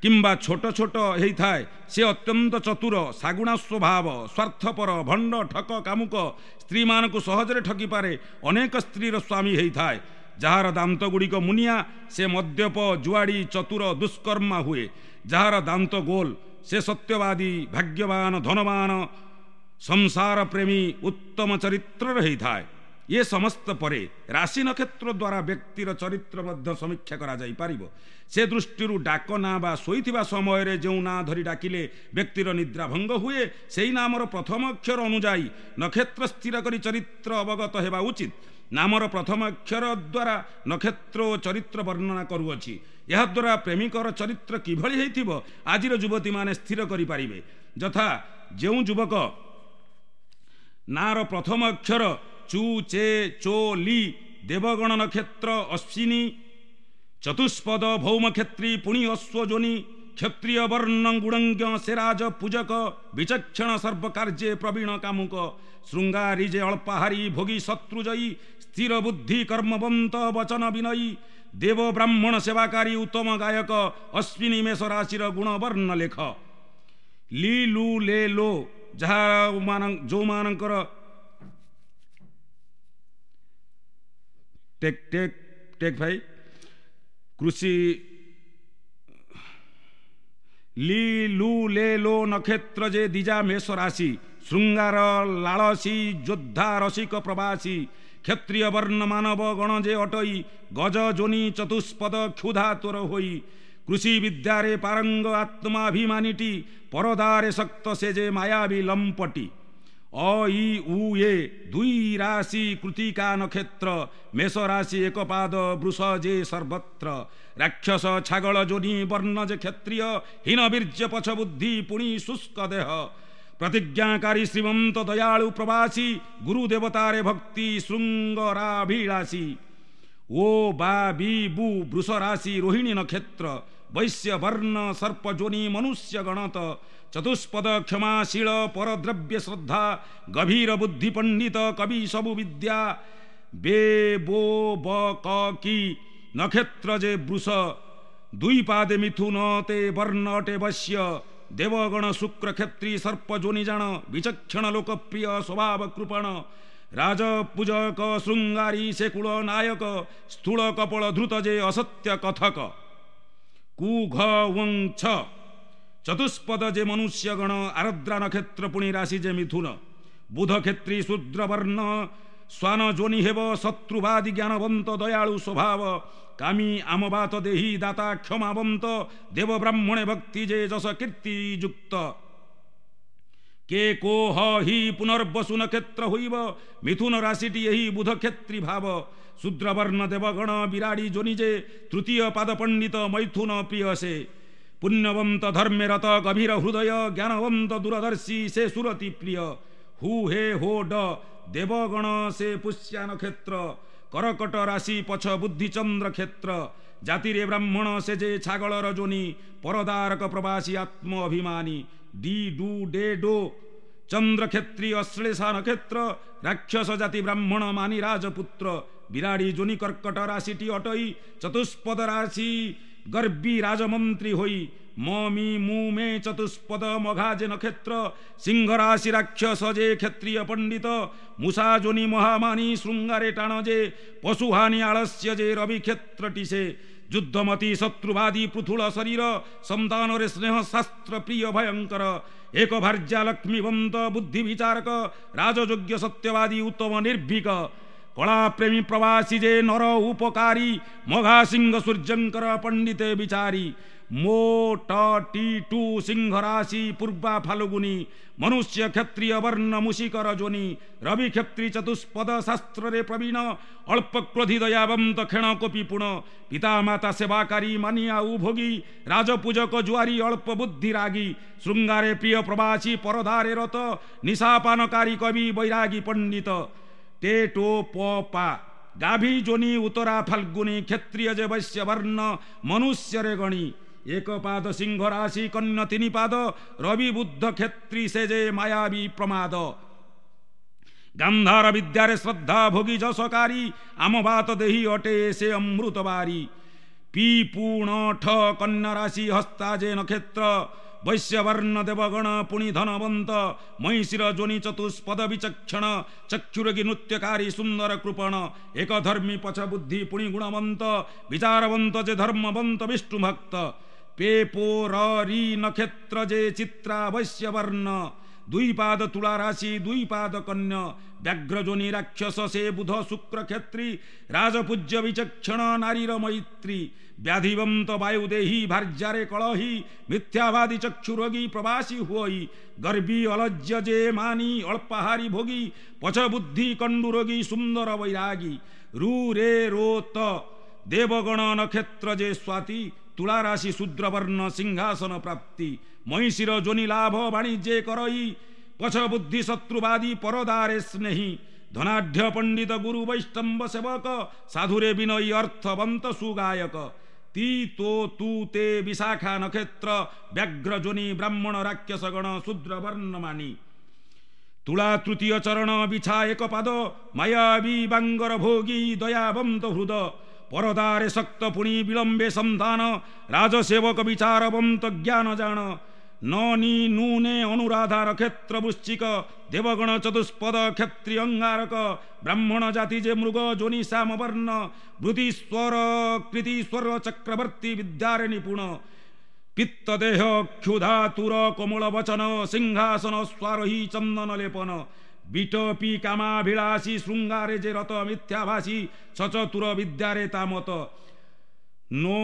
କିମ୍ବା ଛୋଟ ଛୋଟ ହେଇଥାଏ, ସେ ଅତ୍ୟନ୍ତ ଚତୁର, ଶାଗୁଣା ସ୍ୱଭାବ, ସ୍ୱାର୍ଥପର, ଭଣ୍ଡ, ଠକ, କାମୁକ, ସ୍ତ୍ରୀମାନଙ୍କୁ ସହଜରେ ଠକିପାରେ, ଅନେକ ସ୍ତ୍ରୀର ସ୍ୱାମୀ ହେଇଥାଏ। ଯାହାର ଦାନ୍ତ ଗୁଡ଼ିକ ମୁନିଆ, ସେ ମଦ୍ୟପ, ଜୁଆଡ଼ି, ଚତୁର, ଦୁଷ୍କର୍ମା ହୁଏ। ଯାହାର ଦାନ୍ତ ଗୋଲ, ସେ ସତ୍ୟବାଦୀ, ଭାଗ୍ୟବାନ, ଧନବାନ, ସଂସାର ପ୍ରେମୀ, ଉତ୍ତମ ଚରିତ୍ରର ହେଇଥାଏ। ଏ ସମସ୍ତ ପରେ ରାଶି ନକ୍ଷତ୍ର ଦ୍ୱାରା ବ୍ୟକ୍ତିର ଚରିତ୍ର ମଧ୍ୟ ସମୀକ୍ଷା କରାଯାଇପାରିବ। ସେ ଦୃଷ୍ଟିରୁ ଡାକ ନାଁ ବା ଶୋଇଥିବା ସମୟରେ ଯେଉଁ ନାଁ ଧରି ଡାକିଲେ ବ୍ୟକ୍ତିର ନିଦ୍ରା ଭଙ୍ଗ ହୁଏ, ସେଇ ନାମର ପ୍ରଥମ ଅକ୍ଷର ଅନୁଯାୟୀ ନକ୍ଷତ୍ର ସ୍ଥିର କରି ଚରିତ୍ର ଅବଗତ ହେବା ଉଚିତ। ନାମର ପ୍ରଥମ ଅକ୍ଷର ଦ୍ୱାରା ନକ୍ଷତ୍ର ଓ ଚରିତ୍ର ବର୍ଣ୍ଣନା କରୁଅଛି। ଏହାଦ୍ୱାରା ପ୍ରେମିକର ଚରିତ୍ର କିଭଳି ହେଇଥିବ ଆଜିର ଯୁବତୀମାନେ ସ୍ଥିର କରିପାରିବେ। ଯଥା ଯେଉଁ ଯୁବକ ନାଁର ପ୍ରଥମ ଅକ୍ଷର ଚୁ, ଚେ, ଚୋ, ଲି, ଦେବଗଣ ନକ୍ଷତ୍ର ଅଶ୍ୱିନୀ, ଚତୁଷ୍ପଦ ଭୌମକ୍ଷେତ୍ରୀ, ପୁଣି ଅଶ୍ୱଯୋନି, କ୍ଷତ୍ରିୟ ବର୍ଣ୍ଣ ଗୁଣଜ୍ଞ, ସେ ରାଜ ପୂଜକ, ବିଚକ୍ଷଣ ସର୍ବକାର୍ଯ୍ୟେ ପ୍ରବୀଣ କାମୁକ, ଶୃଙ୍ଗାରୀ ଯେ ଅଳ୍ପାହାରୀ, ଭୋଗୀ ଶତ୍ରୁଜୟୀ, ସ୍ଥିର ବୁଦ୍ଧି କର୍ମବନ୍ତ ବଚନ ବିନୟୀ, ଦେବ ବ୍ରାହ୍ମଣ ସେବାକାରୀ ଉତ୍ତମ ଗାୟକ, ଅଶ୍ୱିନୀ ମେଷ ରାଶିର ଗୁଣବର୍ଣ୍ଣ ଲେଖ। ଲି, ଲୁ, ଲେ, ଲୋ, ଯାହା ଯେଉଁମାନଙ୍କର ଟେକ୍ ଟେକ୍ ଟେକ୍ ଭାଇ କୃଷି ଲି, ଲୁ, ଲେ, ଲୋ ନକ୍ଷତ୍ର ଯେ ଦ୍ୱିଜା ମେଷ ରାଶି, ଶୃଙ୍ଗାର ଲାଳସୀ, ଯୋଦ୍ଧା ରସିକ ପ୍ରବାସୀ, କ୍ଷତ୍ରିୟ ବର୍ଣ୍ଣ ମାନବ ଗଣ ଯେ ଅଟଇ, ଗଜ ଯୋନି ଚତୁଷ୍ପଦ କ୍ଷୁଧା ତୋର ହୋଇ, କୃଷି ବିଦ୍ୟାରେ ପାରଙ୍ଗ ଆତ୍ମାଭିମାନୀଟି, ପରଦାରେ ଶକ୍ତ ସେ ଯେ ମାୟାବୀ ଲମ୍ପଟି। ଅ, ଇ, ଉ, ଏ ଦୁଇ ରାଶି କୃତିକା ନକ୍ଷତ୍ର, ମେଷ ରାଶି ଏକ ପାଦ ବୃଷ ଯେ ସର୍ବତ୍ର, ରାକ୍ଷସ ଛାଗଳ ଯୋନି ବର୍ଣ୍ଣ ଯେ କ୍ଷତ୍ରିୟ, ହୀନ ବୀର୍ଯ୍ୟ ପଛ ବୁଦ୍ଧି ପୁଣି ଶୁଷ୍କ ଦେହ, ପ୍ରତିଜ୍ଞାକାରୀ ଶ୍ରୀମନ୍ତ ଦୟାଳୁ ପ୍ରବାସୀ, ଗୁରୁ ଦେବତାରେ ଭକ୍ତି ଶୃଙ୍ଗରାଭିଳାଷୀ। ଓ, ବା, ବି, ବୁ ବୃଷ ରାଶି ରୋହିଣୀ ନକ୍ଷତ୍ର, ବୈଶ୍ୟ ବର୍ଣ୍ଣ ସର୍ପଯୋନି ମନୁଷ୍ୟ ଗଣତ, ଚତୁଷ୍ପଦ କ୍ଷମାଶୀଳ ପରଦ୍ରବ୍ୟ ଶ୍ରଦ୍ଧା, ଗଭୀର ବୁଦ୍ଧି ପଣ୍ଡିତ କବି ସବୁ ବିଦ୍ୟା। ବେ, ବୋ, ବ, କ, କି ନକ୍ଷତ୍ର ଯେ ବୃଷ, ଦୁଇ ପାଦେ ମିଥୁନ ତେ ବର୍ଣ୍ଣ ଅଟେ ବଶ୍ୟ, ଦେବଗଣ ଶୁକ୍ର କ୍ଷତ୍ରି ସର୍ପ ଯୋନି ଜାଣ, ବିଚକ୍ଷଣ ଲୋକପ୍ରିୟ ସ୍ୱଭାବ କୃପଣ, ରାଜପୂଜକ ଶୃଙ୍ଗାରୀ ସେ କୂଳ ନାୟକ, ସ୍ଥୂଳ କପଳ ଧୃତ ଯେ ଅସତ୍ୟ କଥକ। କୁ, ଘ, ଓଁ, ଛ ଚତୁଷ୍ପଦ ଯେ ମନୁଷ୍ୟଗଣ, ଆରଦ୍ରା ନକ୍ଷତ୍ର ପୁଣି ରାଶି ଯେ ମିଥୁନ, ବୁଧ କ୍ଷତ୍ରି ଶୂଦ୍ରବର୍ଣ୍ଣ ଶ୍ୱାନ ଯୋନି ହେବ, ଶତ୍ରୁବାଦୀ ଜ୍ଞାନବନ୍ତ ଦୟାଳୁ ସ୍ୱଭାବ, କାମୀ ଆମବାତ ଦେହି ଦାତା କ୍ଷମାବନ୍ତ, ଦେବ ବ୍ରାହ୍ମଣେ ଭକ୍ତି ଯେ ଯଶ କୀର୍ତ୍ତି ଯୁକ୍ତ। କେ, କୋ, ହ, ହି ପୁନର୍ବସୁ ନକ୍ଷତ୍ର ହୋଇବ, ମିଥୁନ ରାଶିଟି ଏହି ବୁଧ କ୍ଷତ୍ରି ଭାବ, ଶୂଦ୍ରବର୍ଣ୍ଣ ଦେବଗଣ ବିରାଡ଼ି ଯୋନି ଯେ, ତୃତୀୟ ପାଦ ପଣ୍ଡିତ ମୈଥୁନ ପ୍ରିୟ ସେ, ପୁଣ୍ୟବନ୍ତ ଧର୍ମେରତ ଗଭୀର ହୃଦୟ, ଜ୍ଞାନବନ୍ତ ଦୂରଦର୍ଶୀ ସେ ସୁରତି ପ୍ରିୟ। ହୁ, ହେ, ହୋ, ଡ ଦେବଗଣ ସେ ପୁଷ୍ୟା ନକ୍ଷତ୍ର, କରକଟ ରାଶି ପଛ ବୁଦ୍ଧିଚନ୍ଦ୍ର କ୍ଷେତ୍ର, ଜାତିରେ ବ୍ରାହ୍ମଣ ସେ ଯେ ଛାଗଳର ଯୋନି, ପରଦାରକ ପ୍ରବାସୀ ଆତ୍ମ ଅଭିମାନୀ। ଡି, ଡୁ, ଡେ, do ଚନ୍ଦ୍ରକ୍ଷତ୍ରି ଅଶ୍ଳେଷା ନକ୍ଷତ୍ର, ରାକ୍ଷସ ଜାତି ବ୍ରାହ୍ମଣ ମାନି ରାଜପୁତ୍ର, ବିରାଡ଼ି ଯୋନି କର୍କଟ ରାଶିଟି ଅଟଇ, ଚତୁଷ୍ପଦ ରାଶି ଗର୍ବୀ ରାଜମନ୍ତ୍ରୀ ହୋଇ। ମ, ମି, ମୁ, ମେ ଚତୁଷ୍ପଦ ମଘା ଯେ ନକ୍ଷତ୍ର, ସିଂହ ରାଶି ରାକ୍ଷସ ଯେ କ୍ଷତ୍ରିୟ ପଣ୍ଡିତ, ମୂଷା ଯୋନି ମହାମାନି ଶୃଙ୍ଗାରେ ଟାଣ ଯେ, ପଶୁହାନି ଆଳସ୍ୟ ଯେ ରବି କ୍ଷେତ୍ରଟି ସେ, ଯୁଦ୍ଧମତୀ ଶତ୍ରୁବାଦୀ ପୃଥୁଳ ଶରୀର, ସନ୍ତାନରେ ସ୍ନେହ ଶାସ୍ତ୍ର ପ୍ରିୟ ଭୟଙ୍କର, ଏକ ଭାର୍ଯ୍ୟା ଲକ୍ଷ୍ମୀବନ୍ତ ବୁଦ୍ଧି ବିଚାରକ, ରାଜଯୋଗ୍ୟ ସତ୍ୟବାଦୀ ଉତ୍ତମ ନିର୍ଭୀକ। କଳାପ୍ରେମୀ ପ୍ରବାସୀ ଯେ ନର ଉପକାରୀ, ମଘା ସିଂହ ସୂର୍ଯ୍ୟଙ୍କର ପଣ୍ଡିତେ ବିଚାରୀ। ମୋ ଟ ଟି ଟୁ ସିଂହ ରାଶି ପୂର୍ବା ଫାଲୁଗୁନି, ମନୁଷ୍ୟ କ୍ଷତ୍ରିୟ ବର୍ଣ୍ଣ ମୁଷିକର ଯୋନି। ରବି କ୍ଷତ୍ରି ଚତୁଷ୍ପଦ ଶାସ୍ତ୍ରରେ ପ୍ରବୀଣ, ଅଳ୍ପ କ୍ରୋଧି ଦୟାବନ୍ତ କ୍ଷଣ କୋପି ପୁଣ। ପିତାମାତା ସେବାକାରୀ ମାନିଆ ଭୋଗୀ, ରାଜପୂଜକ ଜୁଆରୀ ଅଳ୍ପ ବୁଦ୍ଧି ରାଗୀ। ଶୃଙ୍ଗାରେ ପ୍ରିୟ ପ୍ରବାସୀ ପରଦାରେ ରତ, ନିଶାପାନକାରୀ କବି ବୈରାଗୀ ପଣ୍ଡିତ। ଟେ ଟୋ ପ ପା ଗାଭୀ ଯୋନି ଉତ୍ତରା ଫାଲ୍ଗୁନି, କ୍ଷତ୍ରିୟ ଯେ ବୈଶ୍ୟ ବର୍ଣ୍ଣ ମନୁଷ୍ୟରେ ଗଣି। ଏକ ପାଦ ସିଂହ ରାଶି କନ୍ୟ ତିନି ପାଦ, ରବି ବୁଦ୍ଧ କ୍ଷତ୍ରି ସେ ଯେ ମାୟାବୀ ପ୍ରମାଦ। ଗାନ୍ଧାର ବିଦ୍ୟାରେ ଶ୍ରଦ୍ଧା ଭୋଗୀ ଯଶକାରୀ, ଆମ ବାତ ଦେହି ଅଟେ ସେ ଅମୃତ ବାରୀ। ପି ପୁଣ ଠ କନ୍ୟା ରାଶି ହସ୍ତା ଯେ ନକ୍ଷତ୍ର, ବୈଶ୍ୟବର୍ଣ୍ଣ ଦେବଗଣ ପୁଣି ଧନବନ୍ତ। ମହିଷୀର ଯୋନି ଚତୁଷ୍ପଦ ବିଚକ୍ଷଣ, ଚକ୍ଷୁରୋଗୀ ନୃତ୍ୟକାରୀ ସୁନ୍ଦର କୃପଣ। ଏକ ଧର୍ମୀ ପଛ ବୁଦ୍ଧି ପୁଣି ଗୁଣବନ୍ତ, ବିଚାରବନ୍ତ ଯେ ଧର୍ମବନ୍ତ ବିଷ୍ଣୁ ଭକ୍ତ। ପେ ପୋ ର ରି ନକ୍ଷତ୍ର ଯେ ଚିତ୍ରା ବୈଶ୍ୟବର୍ଣ୍ଣ, ଦୁଇ ପାଦ ତୁଳା ରାଶି ଦୁଇ ପାଦ କନ୍ୟ। ବ୍ୟାଘ୍ରଯୋନି ରାକ୍ଷସ ସେ ବୁଧ ଶୁକ୍ର କ୍ଷତ୍ରି, ରାଜପୂଜ୍ୟ ବିଚକ୍ଷଣ ନାରୀର ମୈତ୍ରୀ। ବ୍ୟାଧିବନ୍ତ ବାୟୁଦେହୀ ଭାର୍ଯ୍ୟାରେ କଳହୀ, ମିଥ୍ୟାବାଦୀ ଚକ୍ଷୁରୋଗୀ ପ୍ରବାସୀ ହୁଅଇ। ଗର୍ବୀ ଅଲଜ୍ୟ ଯେ ମାନି ଅଳ୍ପାହାରୀ ଭୋଗୀ, ପଛ ବୁଦ୍ଧି କଣ୍ଡୁରୋଗୀ ସୁନ୍ଦର ବୈରାଗୀ। ରୁ ରେ ରୋ ତ ଦେବଗଣ ନକ୍ଷତ୍ର ଯେ ସ୍ୱାତି, ତୁଳା ରାଶି ଶୂଦ୍ରବର୍ଣ୍ଣ ସିଂହାସନ ପ୍ରାପ୍ତି। ମହିଷୀର ଯୋନି ଲାଭ ବାଣିଜ୍ୟେ କରଇ, ପଛ ବୁଦ୍ଧି ଶତ୍ରୁବାଦୀ ପରଦାରେ ସ୍ନେହୀ। ଧନାଢ୍ୟ ପଣ୍ଡିତ ଗୁରୁ ବୈଷ୍ଣବ ସେବକ, ସାଧୁରେ ବିନୟୀ ଅର୍ଥବନ୍ତ ସୁଗାୟକ। ତି ତୋ ତୁ ତେ ବିଶାଖା ନକ୍ଷତ୍ର, ବ୍ୟାଘ୍ର ଯୋନି ବ୍ରାହ୍ମଣ ରାକ୍ଷସ ଗଣ ଶୂଦ୍ର ବର୍ଣ୍ଣମାନି। ତୁଳା ତୃତୀୟ ଚରଣ ବିଛା ଏକ ପାଦ, ମାୟାବୀ ବାଙ୍ଗର ଭୋଗୀ ଦୟାବନ୍ତ ହୃଦ। ପରଦାରେ ଶକ୍ତ ପୁଣି ବିଳମ୍ବେ ସନ୍ତାନ, ରାଜସେବକ ବିଚାରବନ୍ତ ଜ୍ଞାନ ଜାଣ। ନ ନି ନୁ ନେ ଅନୁରାଧା ନକ୍ଷତ୍ର ବୃଶ୍ଚିକ, ଦେବଗଣ ଚତୁଷ୍ପଦ କ୍ଷତ୍ରି ଅଙ୍ଗାରକ। ବ୍ରାହ୍ମଣ ଜାତି ଯେ ମୃଗ ଯୋନି ଶ୍ୟାମ ବର୍ଣ୍ଣ, ବୃତିସ୍ୱର କୃତିସ୍ୱର ଚକ୍ରବର୍ତ୍ତୀ ବିଦ୍ୟାରେ ନିପୁଣ। ପିତ୍ତ ଦେହ କ୍ଷୁଧାତୁର କୋମଳ ବଚନ, ସିଂହାସନ ସ୍ୱାରୋହୀ ଚନ୍ଦନ ଲେପନ। ବିଟପି କାମାଭିଳାଷୀ ଶୃଙ୍ଗାରେ ଯେ ରତ, ମିଥ୍ୟାଭାଷୀ ସଚତୁର ବିଦ୍ୟାରେ ତାମତ। ନୋ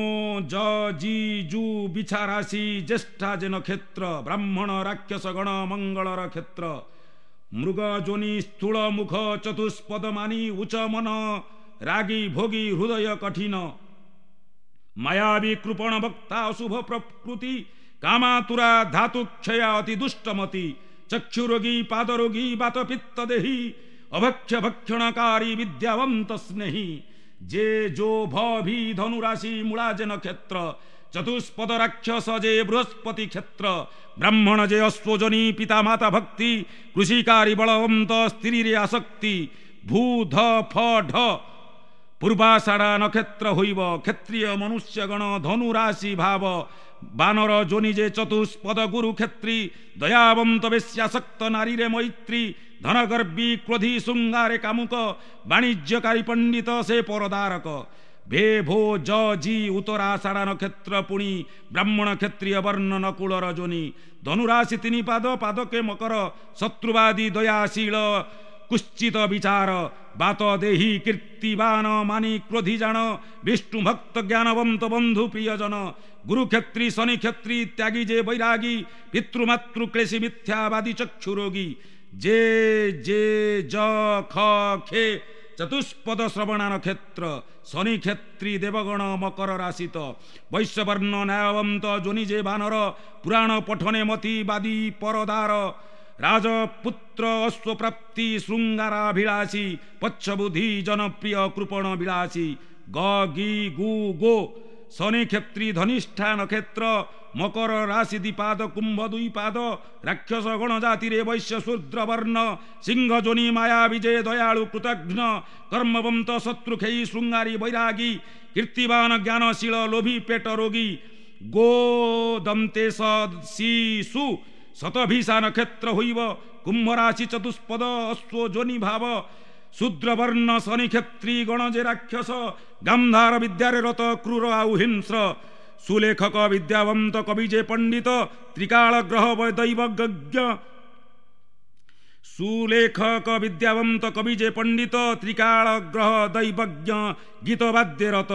ଜ ଜି ଜୁ ବିଛା ରାଶି ଜ୍ୟେଷ୍ଠା ଯେ ନକ୍ଷତ୍ର, ବ୍ରାହ୍ମଣ ରାକ୍ଷସ ଗଣ ମଙ୍ଗଳର କ୍ଷେତ୍ର। ମୃଗ ଯୋନି ସ୍ଥୂଳ ମୁଖ ଚତୁଷ୍ପଦ ମାନି, ଉଚ୍ଚ ମନ ରାଗୀ ଭୋଗୀ ହୃଦୟ କଠିନ। ମାୟାବୀ କୃପଣ ବକ୍ତା ଅଶୁଭ ପ୍ରକୃତି, କାମାତୁରା ଧାତୁ କ୍ଷୟା ଅତି ଦୁଷ୍ଟମତି। ଚକ୍ଷୁରୋଗୀ ପାଦରୋଗୀ ବାତ ପିତ୍ତ ଦେହୀ, ଅଭକ୍ଷ ଭକ୍ଷଣକାରୀ ବିଦ୍ୟାବନ୍ତ ସ୍ନେହୀ। ଯେ ଯୋ ଭ ଭି ଧନୁରାଶି ମୂଳା ଯେ ନକ୍ଷତ୍ର, ଚତୁଷ୍ପଦ ରାକ୍ଷସ ଯେ ବୃହସ୍ପତି କ୍ଷେତ୍ର। ବ୍ରାହ୍ମଣ ଯେ ଅଶ୍ୱଜନୀ ପିତାମାତା ଭକ୍ତି, କୃଷିକାରୀ ବଳବନ୍ତ ସ୍ତ୍ରୀରେ ଆସକ୍ତି। ଭୂ ଧ ଫ ଢ ପୂର୍ବାଷାଢ଼ା ନକ୍ଷତ୍ର ହୋଇବ, କ୍ଷତ୍ରିୟ ମନୁଷ୍ୟଗଣ ଧନୁରାଶି ଭାବ। ବାନର ଯୋନି ଯେ ଚତୁଷ୍ପଦ ଗୁରୁ କ୍ଷତ୍ରି, ଦୟାବନ୍ତ ବେଶ୍ୟାସକ୍ତ ନାରୀରେ ମୈତ୍ରୀ। ଧନଗର୍ବୀ କ୍ରୋଧୀ ଶୃଙ୍ଗାରେ କାମୁକ, ବାଣିଜ୍ୟକାରୀ ପଣ୍ଡିତ ସେ ପରଦାରକ। ଭେ ଭୋ ଜ ଜି ଉତ୍ତରାଷାଢ଼ା ନକ୍ଷତ୍ର ପୁଣି, ବ୍ରାହ୍ମଣ କ୍ଷତ୍ରିୟ ବର୍ଣ୍ଣ ନକୁଳର ଯୋନି। ଧନୁରାଶି ତିନି ପାଦ ପାଦକେ ମକର, ଶତ୍ରୁବାଦୀ ଦୟାଶୀଳ କୁଶ୍ଚିତ ବିଚାର। ବାତ ଦେହି କୀର୍ତ୍ତିବାନ ମାନି କ୍ରୋଧୀ ଜାଣ, ବିଷ୍ଣୁ ଭକ୍ତ ଜ୍ଞାନବନ୍ତ ବନ୍ଧୁ ପ୍ରିୟଜନ। ଗୁରୁକ୍ଷତ୍ରି ଶନି କ୍ଷତ୍ରି ତ୍ୟାଗୀ ଯେ ବୈରାଗୀ, ପିତୃମାତୃ କ୍ଲେଶୀ ମିଥ୍ୟାବାଦୀ ଚକ୍ଷୁରୋଗୀ। ଯେ ଯେ ଜ ଖ ଖେ ଚତୁଷ୍ପଦ ଶ୍ରବଣା ନକ୍ଷତ୍ର, ଶନି କ୍ଷତ୍ରି ଦେବଗଣ ମକର ରାଶିତ। ବୈଶ୍ୟବର୍ଣ୍ଣ ନ୍ୟାୟବନ୍ତ ଯୋନି ଯେ ବାନର, ପୁରାଣ ପଠନେ ମତି ବାଦୀ ପରଦାର। ରାଜପୁତ୍ର ଅଶ୍ୱପ୍ରାପ୍ତି ଶୃଙ୍ଗାରାଭିଳାଷୀ, ପଚ୍ଛବୁଦ୍ଧି ଜନପ୍ରିୟ କୃପଣ ବିଳାସୀ। ଗ ଗି ଗୁ ଗୋ ଶନି କ୍ଷତ୍ରି ଧନିଷ୍ଠା ନକ୍ଷତ୍ର, ମକର ରାଶି ଦ୍ୱିପାଦ କୁମ୍ଭ ଦୁଇ ପାଦ। ରାକ୍ଷସ ଗଣ ଜାତିରେ ବୈଶ୍ୟ ଶୂଦ୍ର ବର୍ଣ୍ଣ, ସିଂହ ଯୋନି ମାୟା ବିଜୟ ଦୟାଳୁ କୃତଘ୍ନ। କର୍ମବନ୍ତ ଶତ୍ରୁଖେଇ ଶୃଙ୍ଗାରୀ ବୈରାଗୀ, କୀର୍ତ୍ତିବାନ ଜ୍ଞାନଶୀଳ ଲୋଭୀ ପେଟ ରୋଗୀ। ଗୋ ଦନ୍ତେ ସି ସୁ ଶତଭିଷା ନକ୍ଷତ୍ର ହୋଇବ, କୁମ୍ଭ ରାଶି ଚତୁଷ୍ପଦ ଅଶ୍ୱ ଯୋନି ଭାବ। ଶୂଦ୍ରବର୍ଣ୍ଣ ଶନି କ୍ଷତ୍ରି ଗଣ ଯେ ରାକ୍ଷସ, ଗାନ୍ଧାର ବିଦ୍ୟାରେ ରତ କ୍ରୂର ଆଉ ହିଂସ୍ର। ସୁଲେଖକ ବିଦ୍ୟାବନ୍ତ କବି ଯେ ପଣ୍ଡିତ, ତ୍ରିକାଳ ଗ୍ରହ ଦୈବଜ୍ଞ। ସୁଲେଖକ ବିଦ୍ୟାବନ୍ତ କବି ଯେ ପଣ୍ଡିତ, ତ୍ରିକାଳ ଗ୍ରହ ଦୈବଜ୍ଞ ଗୀତବାଦ୍ୟରତ।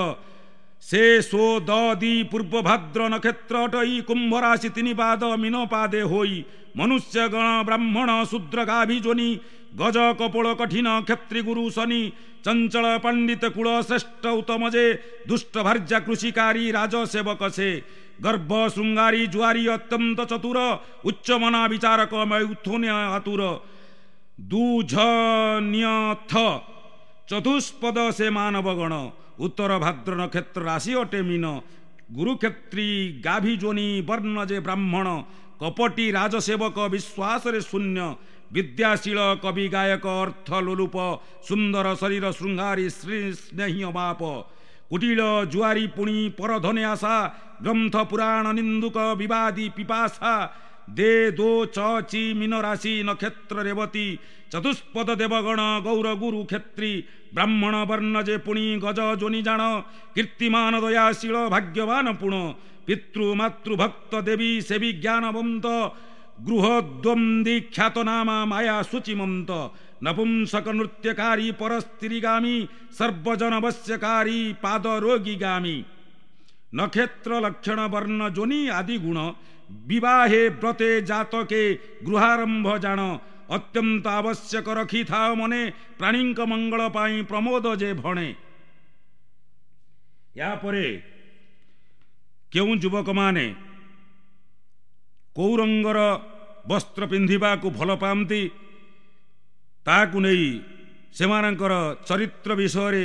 ସେ ସୋ ଦ ଦି ପୂର୍ବ ଭାଦ୍ର ନକ୍ଷତ୍ର ଅଟଇ, କୁମ୍ଭ ରାଶି ତିନି ପାଦ ମୀନ ପାଦେ ହୋଇ। ମନୁଷ୍ୟଗଣ ବ୍ରାହ୍ମଣ ଶୂଦ୍ର ଗାଭି ଯୋନି, ଗଜ କପୋଳ କଠିନ କ୍ଷତ୍ରି ଗୁରୁ ଶନି। ଚଞ୍ଚଳ ପଣ୍ଡିତ କୂଳ ଶ୍ରେଷ୍ଠ ଉତ୍ତମ ଯେ, ଦୁଷ୍ଟ ଭାର୍ଯ୍ୟା କୃଷିକାରୀ ରାଜ ସେବକ ସେ। ଗର୍ଭ ଶୃଙ୍ଗାରୀ ଜୁଆରୀ ଅତ୍ୟନ୍ତ ଚତୁର, ଉଚ୍ଚମନା ବିଚାରକ ମୈଥୁନ ଆତୁର। ଦୁଝନିୟଥ ଚତୁଷ୍ପଦ ସେ ମାନବଗଣ। ଉତ୍ତର ଭାଦ୍ର ନକ୍ଷତ୍ର ରାଶି ଅଟେ ମୀନ, ଗୁରୁକ୍ଷତ୍ରୀ ଗାଭି ଯୋନି ବର୍ଣ୍ଣ ଯେ ବ୍ରାହ୍ମଣ। କପଟି ରାଜସେବକ ବିଶ୍ୱାସରେ ଶୂନ୍ୟ, ବିଦ୍ୟାଶୀଳ କବି ଗାୟକ ଅର୍ଥ ଲୋଲୁପ, ସୁନ୍ଦର ଶରୀର ଶୃଙ୍ଗାରୀ ଶ୍ରୀ ସ୍ନେହୀ ଅମାପ। କୁଟିଳ ଜୁଆରୀ ପୁଣି ପରଧନେ ଆଶା, ଗ୍ରନ୍ଥ ପୁରାଣ ନିନ୍ଦୁକ ବିବାଦୀ ପିପାସା। ଦେ ଦୋ ଚ ଚି ମୀନ ରାଶି ନକ୍ଷତ୍ର ରେବତୀ, ଚତୁଷ୍ପଦ ଦେବଗଣ ଗୌର ଗୁରୁ କ୍ଷତ୍ରୀ। ବ୍ରାହ୍ମଣ ବର୍ଣ୍ଣ ଯେ ପୁଣି ଗଜ ଯୋନି ଜାଣ, କୀର୍ତ୍ତିମାନ ଦୟାଶୀଳ ଭାଗ୍ୟବାନ ପୁଣ। ପିତୃ ମାତୃଭକ୍ତ ଦେବୀ ସେବୀ ଜ୍ଞାନବନ୍ତ, ଗୃହଦ୍ୱନ୍ଦ୍ୱୀ ଖ୍ୟାତନାମା ମାୟା ଶୁଚିମନ୍ତ। ନପୁଂସକ ନୃତ୍ୟକାରୀ ପରସ୍ତ୍ରୀଗାମୀ, ସର୍ବଜନ ବଶ୍ୟକାରୀ ପାଦ ରୋଗୀଗାମୀ। ନକ୍ଷତ୍ର ଲକ୍ଷଣ ବର୍ଣ୍ଣ ଯୋନି ଆଦି ଗୁଣ, ବିବାହେ ବ୍ରତେ ଜାତକେ ଗୃହାରମ୍ଭ ଜାଣ। ଅତ୍ୟନ୍ତ ଆବଶ୍ୟକ ରଖିଥାଅ ମନେ, ପ୍ରାଣୀଙ୍କ ମଙ୍ଗଳ ପାଇଁ ପ୍ରମୋଦ ଯେ ଭଣେ। ଏହାପରେ କେଉଁ ଯୁବକମାନେ କେଉଁ ରଙ୍ଗର ବସ୍ତ୍ର ପିନ୍ଧିବାକୁ ଭଲ ପାଆନ୍ତି ତାହାକୁ ନେଇ ସେମାନଙ୍କର ଚରିତ୍ର ବିଷୟରେ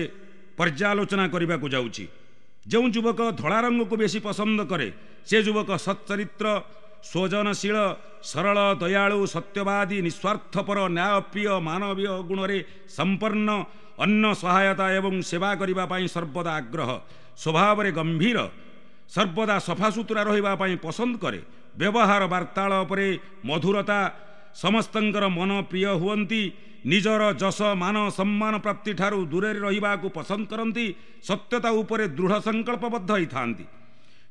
ପର୍ଯ୍ୟାଲୋଚନା କରିବାକୁ ଯାଉଛି। ଯେଉଁ ଯୁବକ ଧଳା ରଙ୍ଗକୁ ବେଶୀ ପସନ୍ଦ କରେ ସେ ଯୁବକ ସଚ୍ଚରିତ୍ର, ସ୍ୱଜନଶୀଳ, ସରଳ, ଦୟାଳୁ, ସତ୍ୟବାଦୀ, ନିସ୍ୱାର୍ଥପର, ନ୍ୟାୟପ୍ରିୟ, ମାନବୀୟ ଗୁଣରେ ସମ୍ପନ୍ନ, ଅନ୍ୟ ସହାୟତା ଏବଂ ସେବା କରିବା ପାଇଁ ସର୍ବଦା ଆଗ୍ରହ, ସ୍ୱଭାବରେ ଗମ୍ଭୀର, ସର୍ବଦା ସଫାସୁତୁରା ରହିବା ପାଇଁ ପସନ୍ଦ କରେ, ବ୍ୟବହାର ବାର୍ତ୍ତାଳାପରେ ମଧୁରତା, ସମସ୍ତଙ୍କର ମନ ପ୍ରିୟ ହୁଅନ୍ତି, ନିଜର ଯଶ ମାନ ସମ୍ମାନ ପ୍ରାପ୍ତି ଠାରୁ ଦୂରରେ ରହିବାକୁ ପସନ୍ଦ କରନ୍ତି, ସତ୍ୟତା ଉପରେ ଦୃଢ଼ ସଂକଳ୍ପବଦ୍ଧ ହୋଇଥାନ୍ତି,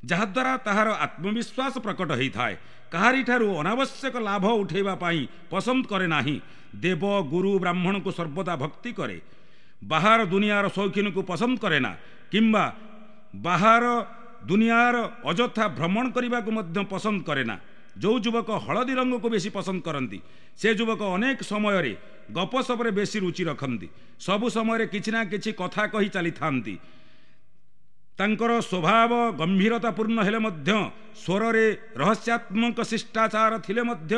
ଯାହାଦ୍ୱାରା ତାହାର ଆତ୍ମବିଶ୍ୱାସ ପ୍ରକଟ ହୋଇଥାଏ, କାହାରିଠାରୁ ଅନାବଶ୍ୟକ ଲାଭ ଉଠାଇବା ପାଇଁ ପସନ୍ଦ କରେ ନାହିଁ, ଦେବ ଗୁରୁ ବ୍ରାହ୍ମଣକୁ ସର୍ବଦା ଭକ୍ତି କରେ, ବାହାର ଦୁନିଆର ଶୌଖିନକୁ ପସନ୍ଦ କରେ ନା କିମ୍ବା ବାହାର ଦୁନିଆର ଅଯଥା ଭ୍ରମଣ କରିବାକୁ ମଧ୍ୟ ପସନ୍ଦ କରେ ନା। ଯେଉଁ ଯୁବକ ହଳଦୀ ରଙ୍ଗକୁ ବେଶୀ ପସନ୍ଦ କରନ୍ତି ସେ ଯୁବକ ଅନେକ ସମୟରେ ଗପସପରେ ବେଶୀ ରୁଚି ରଖନ୍ତି, ସବୁ ସମୟରେ କିଛି ନା କିଛି କଥା କହି ଚାଲିଥାନ୍ତି। ତାଙ୍କର ସ୍ୱଭାବ ଗମ୍ଭୀରତାପୂର୍ଣ୍ଣ ହେଲେ ମଧ୍ୟ ସ୍ୱରରେ ରହସ୍ୟାତ୍ମକ ଶିଷ୍ଟାଚାର ଥିଲେ ମଧ୍ୟ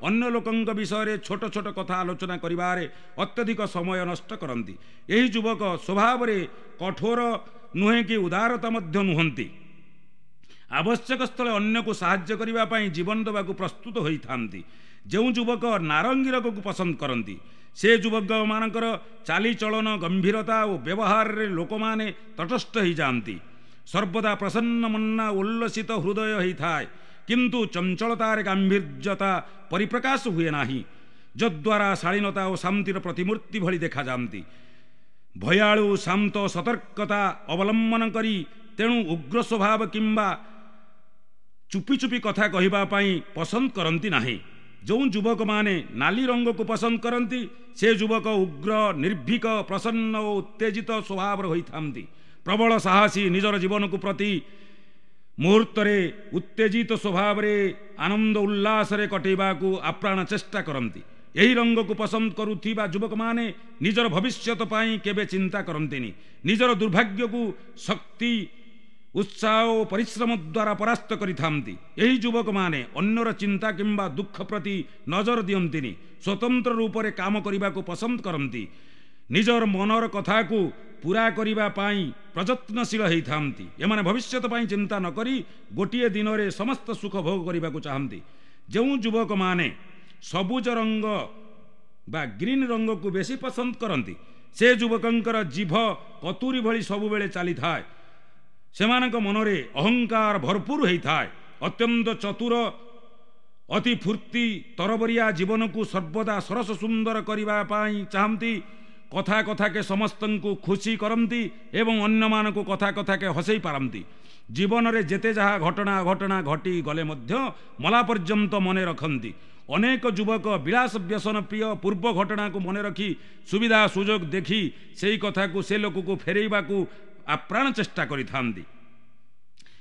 ଅନ୍ୟ ଲୋକଙ୍କ ବିଷୟରେ ଛୋଟ ଛୋଟ କଥା ଆଲୋଚନା କରିବାରେ ଅତ୍ୟଧିକ ସମୟ ନଷ୍ଟ କରନ୍ତି। ଏହି ଯୁବକ ସ୍ୱଭାବରେ କଠୋର ନୁହେଁ କି ଉଦାରତା ମଧ୍ୟ ନୁହନ୍ତି, ଆବଶ୍ୟକ ସ୍ଥଳେ ଅନ୍ୟକୁ ସାହାଯ୍ୟ କରିବା ପାଇଁ ଜୀବନ ଦେବାକୁ ପ୍ରସ୍ତୁତ ହୋଇଥାନ୍ତି। ଯେଉଁ ଯୁବକ ନାରଙ୍ଗୀ ରଙ୍ଗକୁ ପସନ୍ଦ କରନ୍ତି ସେ ଯୁବକମାନଙ୍କର ଚାଲିଚଳନ ଗମ୍ଭୀରତା ଓ ବ୍ୟବହାରରେ ଲୋକମାନେ ତଟସ୍ଥ ହୋଇଯାଆନ୍ତି, ସର୍ବଦା ପ୍ରସନ୍ନ ମନା ଉଲ୍ଲସିତ ହୃଦୟ ହୋଇଥାଏ, କିନ୍ତୁ ଚଞ୍ଚଳତାରେ ଗାମ୍ଭୀର୍ଯ୍ୟତା ପରିପ୍ରକାଶ ହୁଏ ନାହିଁ, ଯଦ୍ୱାରା ଶାଳୀନତା ଓ ଶାନ୍ତିର ପ୍ରତିମୂର୍ତ୍ତି ଭଳି ଦେଖାଯାଆନ୍ତି। ଭୟାଳୁ, ଶାନ୍ତ, ସତର୍କତା ଅବଲମ୍ବନ କରି ତେଣୁ ଉଗ୍ର ସ୍ୱଭାବ କିମ୍ବା ଚୁପି ଚୁପି କଥା କହିବା ପାଇଁ ପସନ୍ଦ କରନ୍ତି ନାହିଁ। ଯେଉଁ ଯୁବକମାନେ ନାଲି ରଙ୍ଗକୁ ପସନ୍ଦ କରନ୍ତି ସେ ଯୁବକ ଉଗ୍ର, ନିର୍ଭୀକ, ପ୍ରସନ୍ନ ଓ ଉତ୍ତେଜିତ ସ୍ୱଭାବର ହୋଇଥାନ୍ତି, ପ୍ରବଳ ସାହସୀ, ନିଜର ଜୀବନକୁ ପ୍ରତି ମୁହୂର୍ତ୍ତରେ ଉତ୍ତେଜିତ ସ୍ୱଭାବରେ ଆନନ୍ଦ ଉଲ୍ଲାସରେ କଟେଇବାକୁ ଆପ୍ରାଣ ଚେଷ୍ଟା କରନ୍ତି। ଏହି ରଙ୍ଗକୁ ପସନ୍ଦ କରୁଥିବା ଯୁବକମାନେ ନିଜର ଭବିଷ୍ୟତ ପାଇଁ କେବେ ଚିନ୍ତା କରନ୍ତିନି, ନିଜର ଦୁର୍ଭାଗ୍ୟକୁ ଶକ୍ତି, ଉତ୍ସାହ ଓ ପରିଶ୍ରମ ଦ୍ୱାରା ପରାସ୍ତ କରିଥାନ୍ତି। ଏହି ଯୁବକମାନେ ଅନ୍ୟର ଚିନ୍ତା କିମ୍ବା ଦୁଃଖ ପ୍ରତି ନଜର ଦିଅନ୍ତିନି, ସ୍ୱତନ୍ତ୍ର ରୂପରେ କାମ କରିବାକୁ ପସନ୍ଦ କରନ୍ତି, ନିଜର ମନର କଥାକୁ ପୂରା କରିବା ପାଇଁ ପ୍ରଯତ୍ନଶୀଳ ହୋଇଥାନ୍ତି। ଏମାନେ ଭବିଷ୍ୟତ ପାଇଁ ଚିନ୍ତା ନ କରି ଗୋଟିଏ ଦିନରେ ସମସ୍ତ ସୁଖ ଭୋଗ କରିବାକୁ ଚାହାନ୍ତି। ଯେଉଁ ଯୁବକମାନେ ସବୁଜ ରଙ୍ଗ ବା ଗ୍ରୀନ୍ ରଙ୍ଗକୁ ବେଶୀ ପସନ୍ଦ କରନ୍ତି ସେ ଯୁବକଙ୍କର ଜିଭ କତୁରୀ ଭଳି ସବୁବେଳେ ଚାଲିଥାଏ, ସେମାନଙ୍କ ମନରେ ଅହଙ୍କାର ଭରପୁର ହୋଇଥାଏ, ଅତ୍ୟନ୍ତ ଚତୁର, ଅତି ଫୁର୍ତ୍ତି, ତରବରିଆ, ଜୀବନକୁ ସର୍ବଦା ସରସ ସୁନ୍ଦର କରିବା ପାଇଁ ଚାହାନ୍ତି, କଥା କଥାକେ ସମସ୍ତଙ୍କୁ ଖୁସି କରନ୍ତି ଏବଂ ଅନ୍ୟମାନଙ୍କୁ କଥା କଥାକେ ହସେଇ ପାରନ୍ତି। ଜୀବନରେ ଯେତେ ଯାହା ଘଟଣା ଅଘଟଣା ଘଟିଗଲେ ମଧ୍ୟ ମଲା ପର୍ଯ୍ୟନ୍ତ ମନେ ରଖନ୍ତି। ଅନେକ ଯୁବକ ବିଳାସ ବ୍ୟସନ ପ୍ରିୟ, ପୂର୍ବ ଘଟଣାକୁ ମନେ ରଖି ସୁବିଧା ସୁଯୋଗ ଦେଖି ସେଇ କଥାକୁ ସେ ଲୋକକୁ ଫେରେଇବାକୁ ଆପ୍ରାଣ ଚେଷ୍ଟା କରିଥାନ୍ତି।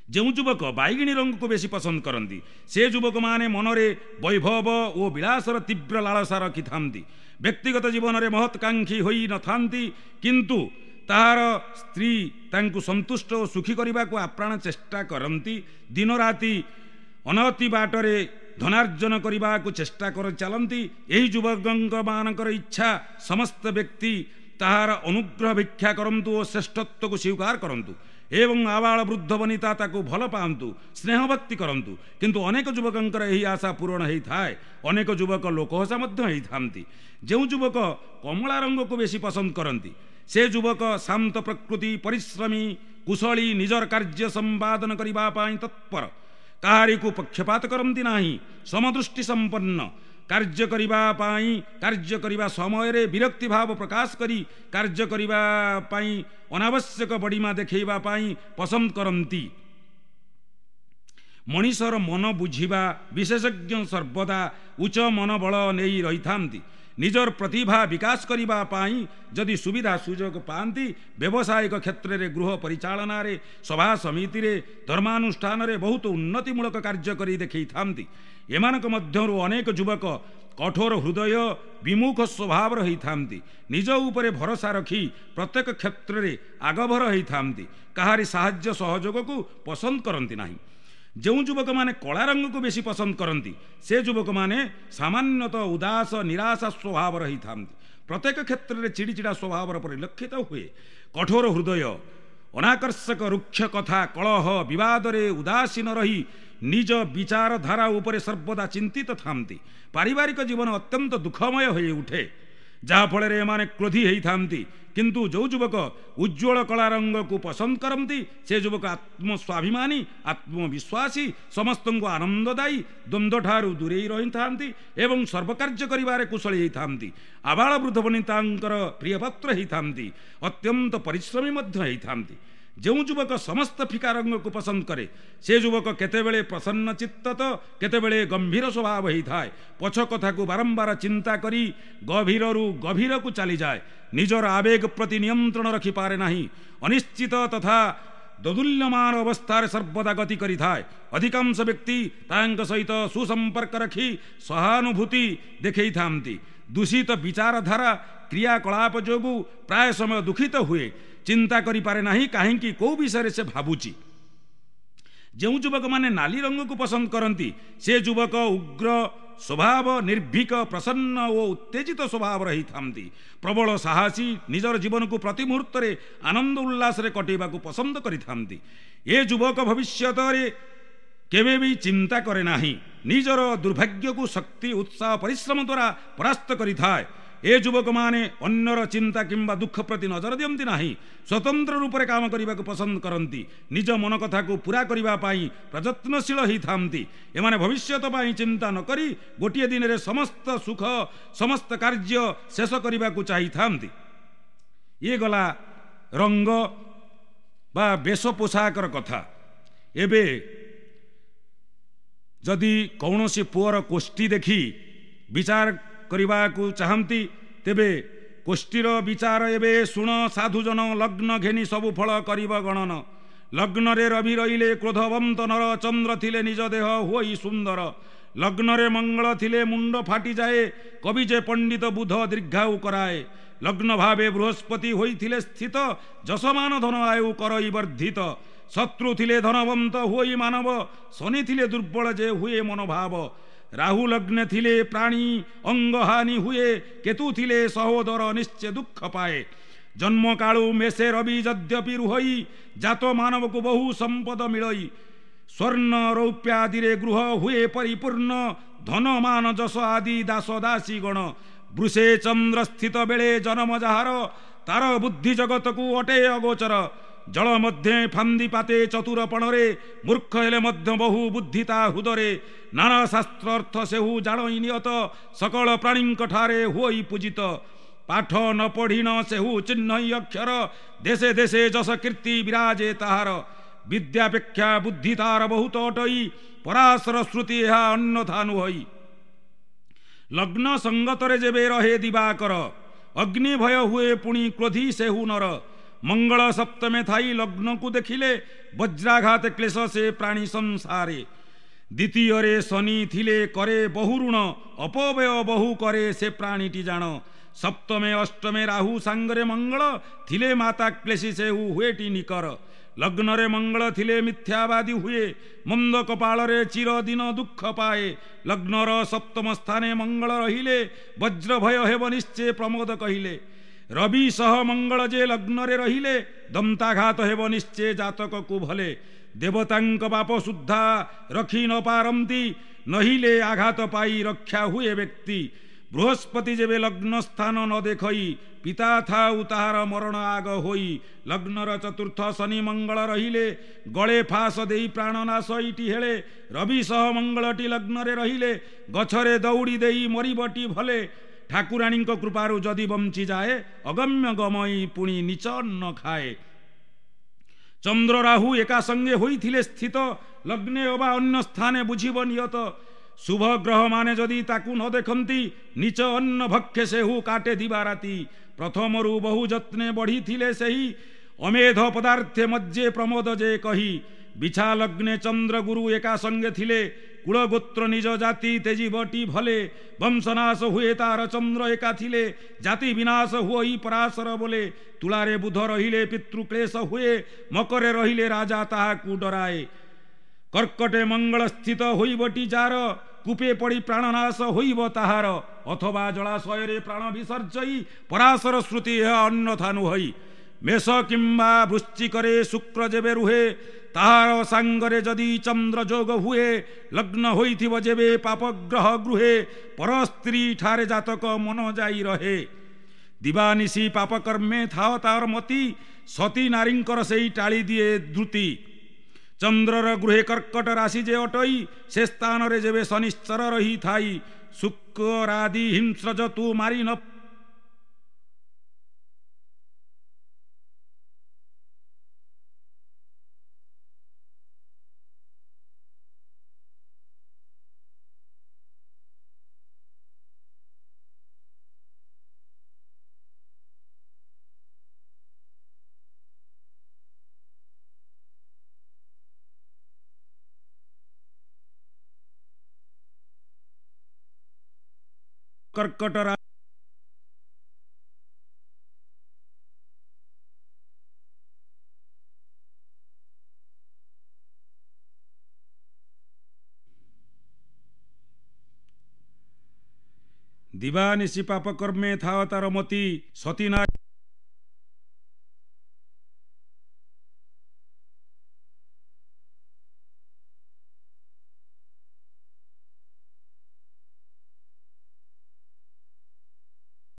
ଯେଉଁ ଯୁବକ ବାଇଗିଣୀ ରଙ୍ଗକୁ ବେଶୀ ପସନ୍ଦ କରନ୍ତି, ସେ ଯୁବକମାନେ ମନରେ ବୈଭବ ଓ ବିଳାସର ତୀବ୍ର ଲାଳସା ରଖିଥାନ୍ତି। ବ୍ୟକ୍ତିଗତ ଜୀବନରେ ମହତ୍କାଂକ୍ଷୀ ହୋଇନଥାନ୍ତି, କିନ୍ତୁ ତାହାର ସ୍ତ୍ରୀ ତାଙ୍କୁ ସନ୍ତୁଷ୍ଟ ଓ ସୁଖୀ କରିବାକୁ ଆପ୍ରାଣ ଚେଷ୍ଟା କରନ୍ତି। ଦିନରାତି ଅନତି ବାଟରେ ଧନାର୍ଜନ କରିବାକୁ ଚେଷ୍ଟା କରି ଚାଲନ୍ତି। ଏହି ଯୁବକଙ୍କ ମାନଙ୍କର ଇଚ୍ଛା ସମସ୍ତ ବ୍ୟକ୍ତି ତାହାର ଅନୁଗ୍ରହ ଭିକ୍ଷା କରନ୍ତୁ ଓ ଶ୍ରେଷ୍ଠତ୍ୱକୁ ସ୍ୱୀକାର କରନ୍ତୁ ଏବଂ ଆବାଳ ବୃଦ୍ଧ ବନିତା ତାକୁ ଭଲ ପାଆନ୍ତୁ, ସ୍ନେହ ଭକ୍ତି କରନ୍ତୁ। କିନ୍ତୁ ଅନେକ ଯୁବକଙ୍କର ଏହି ଆଶା ପୂରଣ ହେଇଥାଏ। ଅନେକ ଯୁବକ ଲୋକହସା ମଧ୍ୟ ହେଇଥାନ୍ତି। ଯେଉଁ ଯୁବକ କମଳା ରଙ୍ଗକୁ ବେଶୀ ପସନ୍ଦ କରନ୍ତି, ସେ ଯୁବକ ଶାନ୍ତ ପ୍ରକୃତି, ପରିଶ୍ରମୀ, କୁଶଳୀ, ନିଜର କାର୍ଯ୍ୟ ସମ୍ପାଦନ କରିବା ପାଇଁ ତତ୍ପର, କାହାରିକୁ ପକ୍ଷପାତ କରନ୍ତି ନାହିଁ, ସମଦୃଷ୍ଟି ସମ୍ପନ୍ନ, କାର୍ଯ୍ୟ କରିବା ପାଇଁ କାର୍ଯ୍ୟ କରିବା ସମୟରେ ବିରକ୍ତି ଭାବ ପ୍ରକାଶ କରି କାର୍ଯ୍ୟ କରିବା ପାଇଁ ଅନାବଶ୍ୟକ ବଡ଼ିମା ଦେଖାଇବା ପାଇଁ ପସନ୍ଦ କରନ୍ତି। ମଣିଷର ମନ ବୁଝିବା ବିଶେଷଜ୍ଞ ସର୍ବଦା ଉଚ୍ଚ ମନୋବଳ ନେଇ ରହିଥାନ୍ତି। ନିଜର ପ୍ରତିଭା ବିକାଶ କରିବା ପାଇଁ ଯଦି ସୁବିଧା ସୁଯୋଗ ପାଆନ୍ତି, ବ୍ୟବସାୟିକ କ୍ଷେତ୍ରରେ, ଗୃହ ପରିଚାଳନାରେ, ସଭା ସମିତିରେ, ଧର୍ମାନୁଷ୍ଠାନରେ ବହୁତ ଉନ୍ନତିମୂଳକ କାର୍ଯ୍ୟ କରି ଦେଖେଇଥାନ୍ତି। ଏମାନଙ୍କ ମଧ୍ୟରୁ ଅନେକ ଯୁବକ କଠୋର ହୃଦୟ, ବିମୁଖ ସ୍ୱଭାବର ହେଇଥାନ୍ତି। ନିଜ ଉପରେ ଭରସା ରଖି ପ୍ରତ୍ୟେକ କ୍ଷେତ୍ରରେ ଆଗଭର ହେଇଥାନ୍ତି। କାହାରି ସାହାଯ୍ୟ ସହଯୋଗକୁ ପସନ୍ଦ କରନ୍ତି ନାହିଁ। ଯେଉଁ ଯୁବକମାନେ କଳା ରଙ୍ଗକୁ ବେଶୀ ପସନ୍ଦ କରନ୍ତି, ସେ ଯୁବକମାନେ ସାମାନ୍ୟତଃ ଉଦାସ, ନିରାଶା ସ୍ୱଭାବର ହେଇଥାନ୍ତି। ପ୍ରତ୍ୟେକ କ୍ଷେତ୍ରରେ ଚିଡ଼ିଚିଡ଼ା ସ୍ୱଭାବର ପରିଲକ୍ଷିତ ହୁଏ। କଠୋର ହୃଦୟ, ଅନାକର୍ଷକ, ରୁକ୍ଷ କଥା, କଳହ ବିବାଦରେ ଉଦାସୀନ ରହି ନିଜ ବିଚାରଧାରା ଉପରେ ସର୍ବଦା ଚିନ୍ତିତ ଥାନ୍ତି। ପାରିବାରିକ ଜୀବନ ଅତ୍ୟନ୍ତ ଦୁଃଖମୟ ହୋଇ ଉଠେ, ଯାହାଫଳରେ ଏମାନେ କ୍ରୋଧୀ ହେଇଥାନ୍ତି। କିନ୍ତୁ ଯେଉଁ ଯୁବକ ଉଜ୍ଜ୍ୱଳ କଳା ରଙ୍ଗକୁ ପସନ୍ଦ କରନ୍ତି, ସେ ଯୁବକ ଆତ୍ମସ୍ୱାଭିମାନୀ, ଆତ୍ମବିଶ୍ୱାସୀ, ସମସ୍ତଙ୍କୁ ଆନନ୍ଦଦାୟୀ, ଦ୍ୱନ୍ଦ୍ୱଠାରୁ ଦୂରେଇ ରହିଥାନ୍ତି ଏବଂ ସର୍ବକାର୍ଯ୍ୟ କରିବାରେ କୁଶଳୀ ହେଇଥାନ୍ତି। ଆବାଳ ବୃଦ୍ଧ ବନିତାଙ୍କର ପ୍ରିୟପାତ୍ର ହେଇଥାନ୍ତି। ଅତ୍ୟନ୍ତ ପରିଶ୍ରମୀ ମଧ୍ୟ ହେଇଥାନ୍ତି। ଯେଉଁ ଯୁବକ ସମସ୍ତ ଫିକା ରଙ୍ଗକୁ ପସନ୍ଦ କରେ, ସେ ଯୁବକ କେତେବେଳେ ପ୍ରସନ୍ନ ଚିତ୍ତ ତ କେତେବେଳେ ଗମ୍ଭୀର ସ୍ୱଭାବ ହେଇଥାଏ। ପଛ କଥାକୁ ବାରମ୍ବାର ଚିନ୍ତା କରି ଗଭୀରରୁ ଗଭୀରକୁ ଚାଲିଯାଏ। ନିଜର ଆବେଗ ପ୍ରତି ନିୟନ୍ତ୍ରଣ ରଖିପାରେ ନାହିଁ। ଅନିଶ୍ଚିତ ତଥା ଦୋଦୁଲ୍ୟମାନ ଅବସ୍ଥାରେ ସର୍ବଦା ଗତି କରିଥାଏ। ଅଧିକାଂଶ ବ୍ୟକ୍ତି ତାଙ୍କ ସହିତ ସୁସମ୍ପର୍କ ରଖି ସହାନୁଭୂତି ଦେଖେଇଥାନ୍ତି। ଦୂଷିତ ବିଚାରଧାରା, କ୍ରିୟାକଳାପ ଯୋଗୁଁ ପ୍ରାୟ ସମୟ ଦୁଃଖିତ ହୁଏ। ଚିନ୍ତା କରିପାରେ ନାହିଁ କାହିଁକି କେଉଁ ବିଷୟରେ ସେ ଭାବୁଛି। ଯେଉଁ ଯୁବକମାନେ ନାଲି ରଙ୍ଗକୁ ପସନ୍ଦ କରନ୍ତି, ସେ ଯୁବକ ଉଗ୍ର ସ୍ୱଭାବ, ନିର୍ଭୀକ, ପ୍ରସନ୍ନ ଓ ଉତ୍ତେଜିତ ସ୍ୱଭାବର ହେଇଥାନ୍ତି। ପ୍ରବଳ ସାହସୀ, ନିଜର ଜୀବନକୁ ପ୍ରତି ମୁହୂର୍ତ୍ତରେ ଆନନ୍ଦ ଉଲ୍ଲାସରେ କଟେଇବାକୁ ପସନ୍ଦ କରିଥାନ୍ତି। ଏ ଯୁବକ ଭବିଷ୍ୟତରେ କେବେ ବି ଚିନ୍ତା କରେ ନାହିଁ। ନିଜର ଦୁର୍ଭାଗ୍ୟକୁ ଶକ୍ତି, ଉତ୍ସାହ, ପରିଶ୍ରମ ଦ୍ୱାରା ପରାସ୍ତ କରିଥାଏ। ଏ ଯୁବକମାନେ ଅନ୍ୟର ଚିନ୍ତା କିମ୍ବା ଦୁଃଖ ପ୍ରତି ନଜର ଦିଅନ୍ତି ନାହିଁ। ସ୍ୱତନ୍ତ୍ର ରୂପରେ କାମ କରିବାକୁ ପସନ୍ଦ କରନ୍ତି। ନିଜ ମନ କଥାକୁ ପୂରା କରିବା ପାଇଁ ପ୍ରଯତ୍ନଶୀଳ ହେଇଥାନ୍ତି। ଏମାନେ ଭବିଷ୍ୟତ ପାଇଁ ଚିନ୍ତା ନ କରି ଗୋଟିଏ ଦିନରେ ସମସ୍ତ ସୁଖ, ସମସ୍ତ କାର୍ଯ୍ୟ ଶେଷ କରିବାକୁ ଚାହିଁଥାନ୍ତି। ଇଏ ଗଲା ରଙ୍ଗ ବା ବେଶ ପୋଷାକର କଥା। ଏବେ ଯଦି କୌଣସି ପୁଅର କୋଷ୍ଠୀ ଦେଖି ବିଚାର କରିବାକୁ ଚାହାନ୍ତି, ତେବେ କୋଷ୍ଠୀର ବିଚାର ଏବେ ଶୁଣ ସାଧୁଜନ, ଲଗ୍ନ ଘେନି ସବୁ ଫଳ କରିବ ଗଣନ। ଲଗ୍ନରେ ରବି ରହିଲେ କ୍ରୋଧବନ୍ତ ନର, ଚନ୍ଦ୍ର ଥିଲେ ନିଜ ଦେହ ହୋଇ ସୁନ୍ଦର। ଲଗ୍ନରେ ମଙ୍ଗଳ ଥିଲେ ମୁଣ୍ଡ ଫାଟିଯାଏ, କବି ଯେ ପଣ୍ଡିତ ବୁଧ ଦୀର୍ଘାୟୁ କରାଏ। ଲଗ୍ନ ଭାବେ ବୃହସ୍ପତି ହୋଇଥିଲେ ସ୍ଥିତ, ଯଶମାନ ଧନ ଆୟୁ କରଇ ବର୍ଦ୍ଧିତ। ଶତ୍ରୁ ଥିଲେ ଧନବନ୍ତ ହୋଇ ମାନବ, ଶନି ଥିଲେ ଦୁର୍ବଳ ଯେ ହୁଏ ମନୋଭାବ। ରାହୁ ଲଗ୍ନେ ଥିଲେ ପ୍ରାଣୀ ଅଙ୍ଗହାନି ହୁଏ, କେତୁ ଥିଲେ ସହୋଦର ନିଶ୍ଚେ ଦୁଃଖ ପାଏ। ଜନ୍ମକାଳୁ ମେଷେ ରବି ଯଦ୍ୟପି ରୁହଇ, ଜାତ ମାନବକୁ ବହୁ ସମ୍ପଦ ମିଳଇ। ସ୍ୱର୍ଣ୍ଣ ରୌପ୍ୟାଦିରେ ଗୃହ ହୁଏ ପରିପୂର୍ଣ୍ଣ, ଧନ ମାନ ଯଶ ଆଦି ଦାସ ଦାସୀ ଗଣ। ବୃଷେ ଚନ୍ଦ୍ର ସ୍ଥିତ ବେଳେ ଜନମ ଯାହାର, ତାର ବୁଦ୍ଧି ଜଗତକୁ ଅଟେ ଅଗୋଚର। ଜଳ ମଧ୍ୟେ ଫାନ୍ଦି ପାତେ ଚତୁରପଣରେ, ମୂର୍ଖ ହେଲେ ମଧ୍ୟ ବହୁ ବୁଦ୍ଧି ତା ହୃଦରେ। ନାନା ଶାସ୍ତ୍ର ଅର୍ଥ ସେହୁ ଜାଣଇ ନିୟତ, ସକଳ ପ୍ରାଣୀଙ୍କ ଠାରେ ହୁଅଇ ପୂଜିତ। ପାଠ ନ ପଢ଼ିଣ ସେହୁ ଚିହ୍ନଇ ଅକ୍ଷର, ଦେଶେ ଦେଶେ ଯଶ କୀର୍ତ୍ତି ବିରାଜେ ତାହାର। ବିଦ୍ୟାପେକ୍ଷା ବୁଦ୍ଧି ତାର ବହୁତ ଅଟଇ, ପରାଶର ଶ୍ରୁତି ଏହା ଅନ୍ୟଥା ନୁହଇ। ଲଗ୍ନ ସଙ୍ଗତରେ ଯେବେ ରହେ ଦିବାକର, ଅଗ୍ନି ଭୟ ହୁଏ ପୁଣି କ୍ରୋଧୀ ସେହୁ ନର। ମଙ୍ଗଳ ସପ୍ତମେ ଥାଇ ଲଗ୍ନକୁ ଦେଖିଲେ, ବଜ୍ରାଘାତ କ୍ଲେଶ ସେ ପ୍ରାଣୀ ସଂସାରେ। ଦ୍ୱିତୀୟରେ ଶନି ଥିଲେ କରେ ବହୁ ଋଣ, ଅପବ୍ୟୟ ବହୁ କରେ ସେ ପ୍ରାଣୀଟି ଜାଣ। ସପ୍ତମେ ଅଷ୍ଟମେ ରାହୁ ସାଙ୍ଗରେ ମଙ୍ଗଳ ଥିଲେ, ମାତା କ୍ଲେଶୀ ସେହୁ ହୁଏଟି ନିକର। ଲଗ୍ନରେ ମଙ୍ଗଳ ଥିଲେ ମିଥ୍ୟାବାଦୀ ହୁଏ, ମନ୍ଦ କପାଳରେ ଚିରଦିନ ଦୁଃଖ ପାଏ। ଲଗ୍ନର ସପ୍ତମ ସ୍ଥାନେ ମଙ୍ଗଳ ରହିଲେ, ବଜ୍ର ଭୟ ହେବ ନିଶ୍ଚୟ ପ୍ରମୋଦ କହିଲେ। ରବି ସହ ମଙ୍ଗଳ ଯେ ଲଗ୍ନରେ ରହିଲେ, ଦନ୍ତାଘାତ ହେବ ନିଶ୍ଚୟ ଜାତକକୁ ଭଲେ। ଦେବତାଙ୍କ ପାପ ସୁଦ୍ଧା ରଖି ନ ପାରନ୍ତି, ନହିଲେ ଆଘାତ ପାଇ ରକ୍ଷା ହୁଏ ବ୍ୟକ୍ତି। ବୃହସ୍ପତି ଯେବେ ଲଗ୍ନ ସ୍ଥାନ ନ ଦେଖଇ, ପିତା ଥାଉ ତାହାର ମରଣ ଆଗ ହୋଇ। ଲଗ୍ନର ଚତୁର୍ଥ ଶନି ମଙ୍ଗଳ ରହିଲେ, ଗଳେ ଫାସ ଦେଇ ପ୍ରାଣନାଶ ଇଟି ହେଳେ। ରବି ସହ ମଙ୍ଗଳଟି ଲଗ୍ନରେ ରହିଲେ, ଗଛରେ ଦଉଡ଼ି ଦେଇ ମରିବଟି ଭଲେ। ଠାକୁରାଣୀଙ୍କ କୃପାରୁ ଯଦି ବଞ୍ଚିଯାଏ, ଅଗମ୍ୟ ଗମଇ ପୁଣି ନିଚ ଅନ୍ନ ଖାଏ। ଚନ୍ଦ୍ର ରାହୁ ଏକା ସଙ୍ଗେ ହୋଇଥିଲେ ସ୍ଥିତ, ଲଗ୍ନେ ଅବା ଅନ୍ୟ ସ୍ଥାନେ ବୁଝିବ ନିୟତ। ଶୁଭ ଗ୍ରହମାନେ ଯଦି ତାକୁ ନ ଦେଖନ୍ତି, ନିଚ ଅନ୍ନ ଭକ୍ଷେ ସେହୁ କାଟେ ଦିବାରାତି। ପ୍ରଥମରୁ ବହୁ ଯତ୍ନେ ବଢ଼ିଥିଲେ ସେହି, ଅମେଧ ପଦାର୍ଥେ ମଜ୍ଜେ ପ୍ରମୋଦ ଯେ କହି। ବିଛା ଲଗ୍ନେ ଚନ୍ଦ୍ର ଗୁରୁ ଏକା ସଙ୍ଗେ ଥିଲେ, କୁଳଗୋତ୍ର ନିଜ ଜାତି ତେଜିବଟି ଭଲେ। ବଂଶନାଶ ହୁଏ ତାର ଚନ୍ଦ୍ର ଏକା ଥିଲେ, ଜାତି ବିନାଶ ହୁଅଇ ପରାଶର ବୋଲେ। ତୁଳାରେ ବୁଧ ରହିଲେ ପିତୃକ୍ଲେଶ ହୁଏ, ମକରେ ରହିଲେ ରାଜା ତାହାକୁ ଡରାଏ। କର୍କଟେ ମଙ୍ଗଳ ସ୍ଥିତ ହୋଇବଟି ଯାର, କୂପେ ପଡ଼ି ପ୍ରାଣନାଶ ହୋଇବ ତାହାର। ଅଥବା ଜଳାଶୟରେ ପ୍ରାଣ ବିସର୍ଜଇ, ପରାଶର ଶ୍ରୁତି ଏହା ଅନ୍ୟଥା ନୁହଇ। ମେଷ କିମ୍ବା ବୃଶ୍ଚିକରେ ଶୁକ୍ର ଯେବେ ରୁହେ, ତାହାର ସାଙ୍ଗରେ ଯଦି ଚନ୍ଦ୍ର ଯୋଗ ହୁଏ। ଲଗ୍ନ ହୋଇଥିବ ଯେବେ ପାପଗ୍ରହ ଗୃହେ, ପରସ୍ତ୍ରୀ ଠାରେ ଜାତକ ମନ ଯାଇ ରହେ। ଦିବାନିଶି ପାପକର୍ମେ ଥାଅ ତାର ମତି, ସତୀ ନାରୀଙ୍କର ସେଇ ଟାଳି ଦିଏ ଦ୍ରୁତି। ଚନ୍ଦ୍ରର ଗୃହେ କର୍କଟ ରାଶି ଯେ ଅଟଇ, ସେ ସ୍ଥାନରେ ଯେବେ ଶନିଶ୍ଚର ରହିଥାଇ। ଶୁକ୍ରାଦି ହିଂସ୍ର ତୁ ମାରି ନ କର୍କଟ ଦିବାନିଶି ପାପ କର୍ମେ ଥାଅ ତାର ମତି, ସତୀ ନାରୀ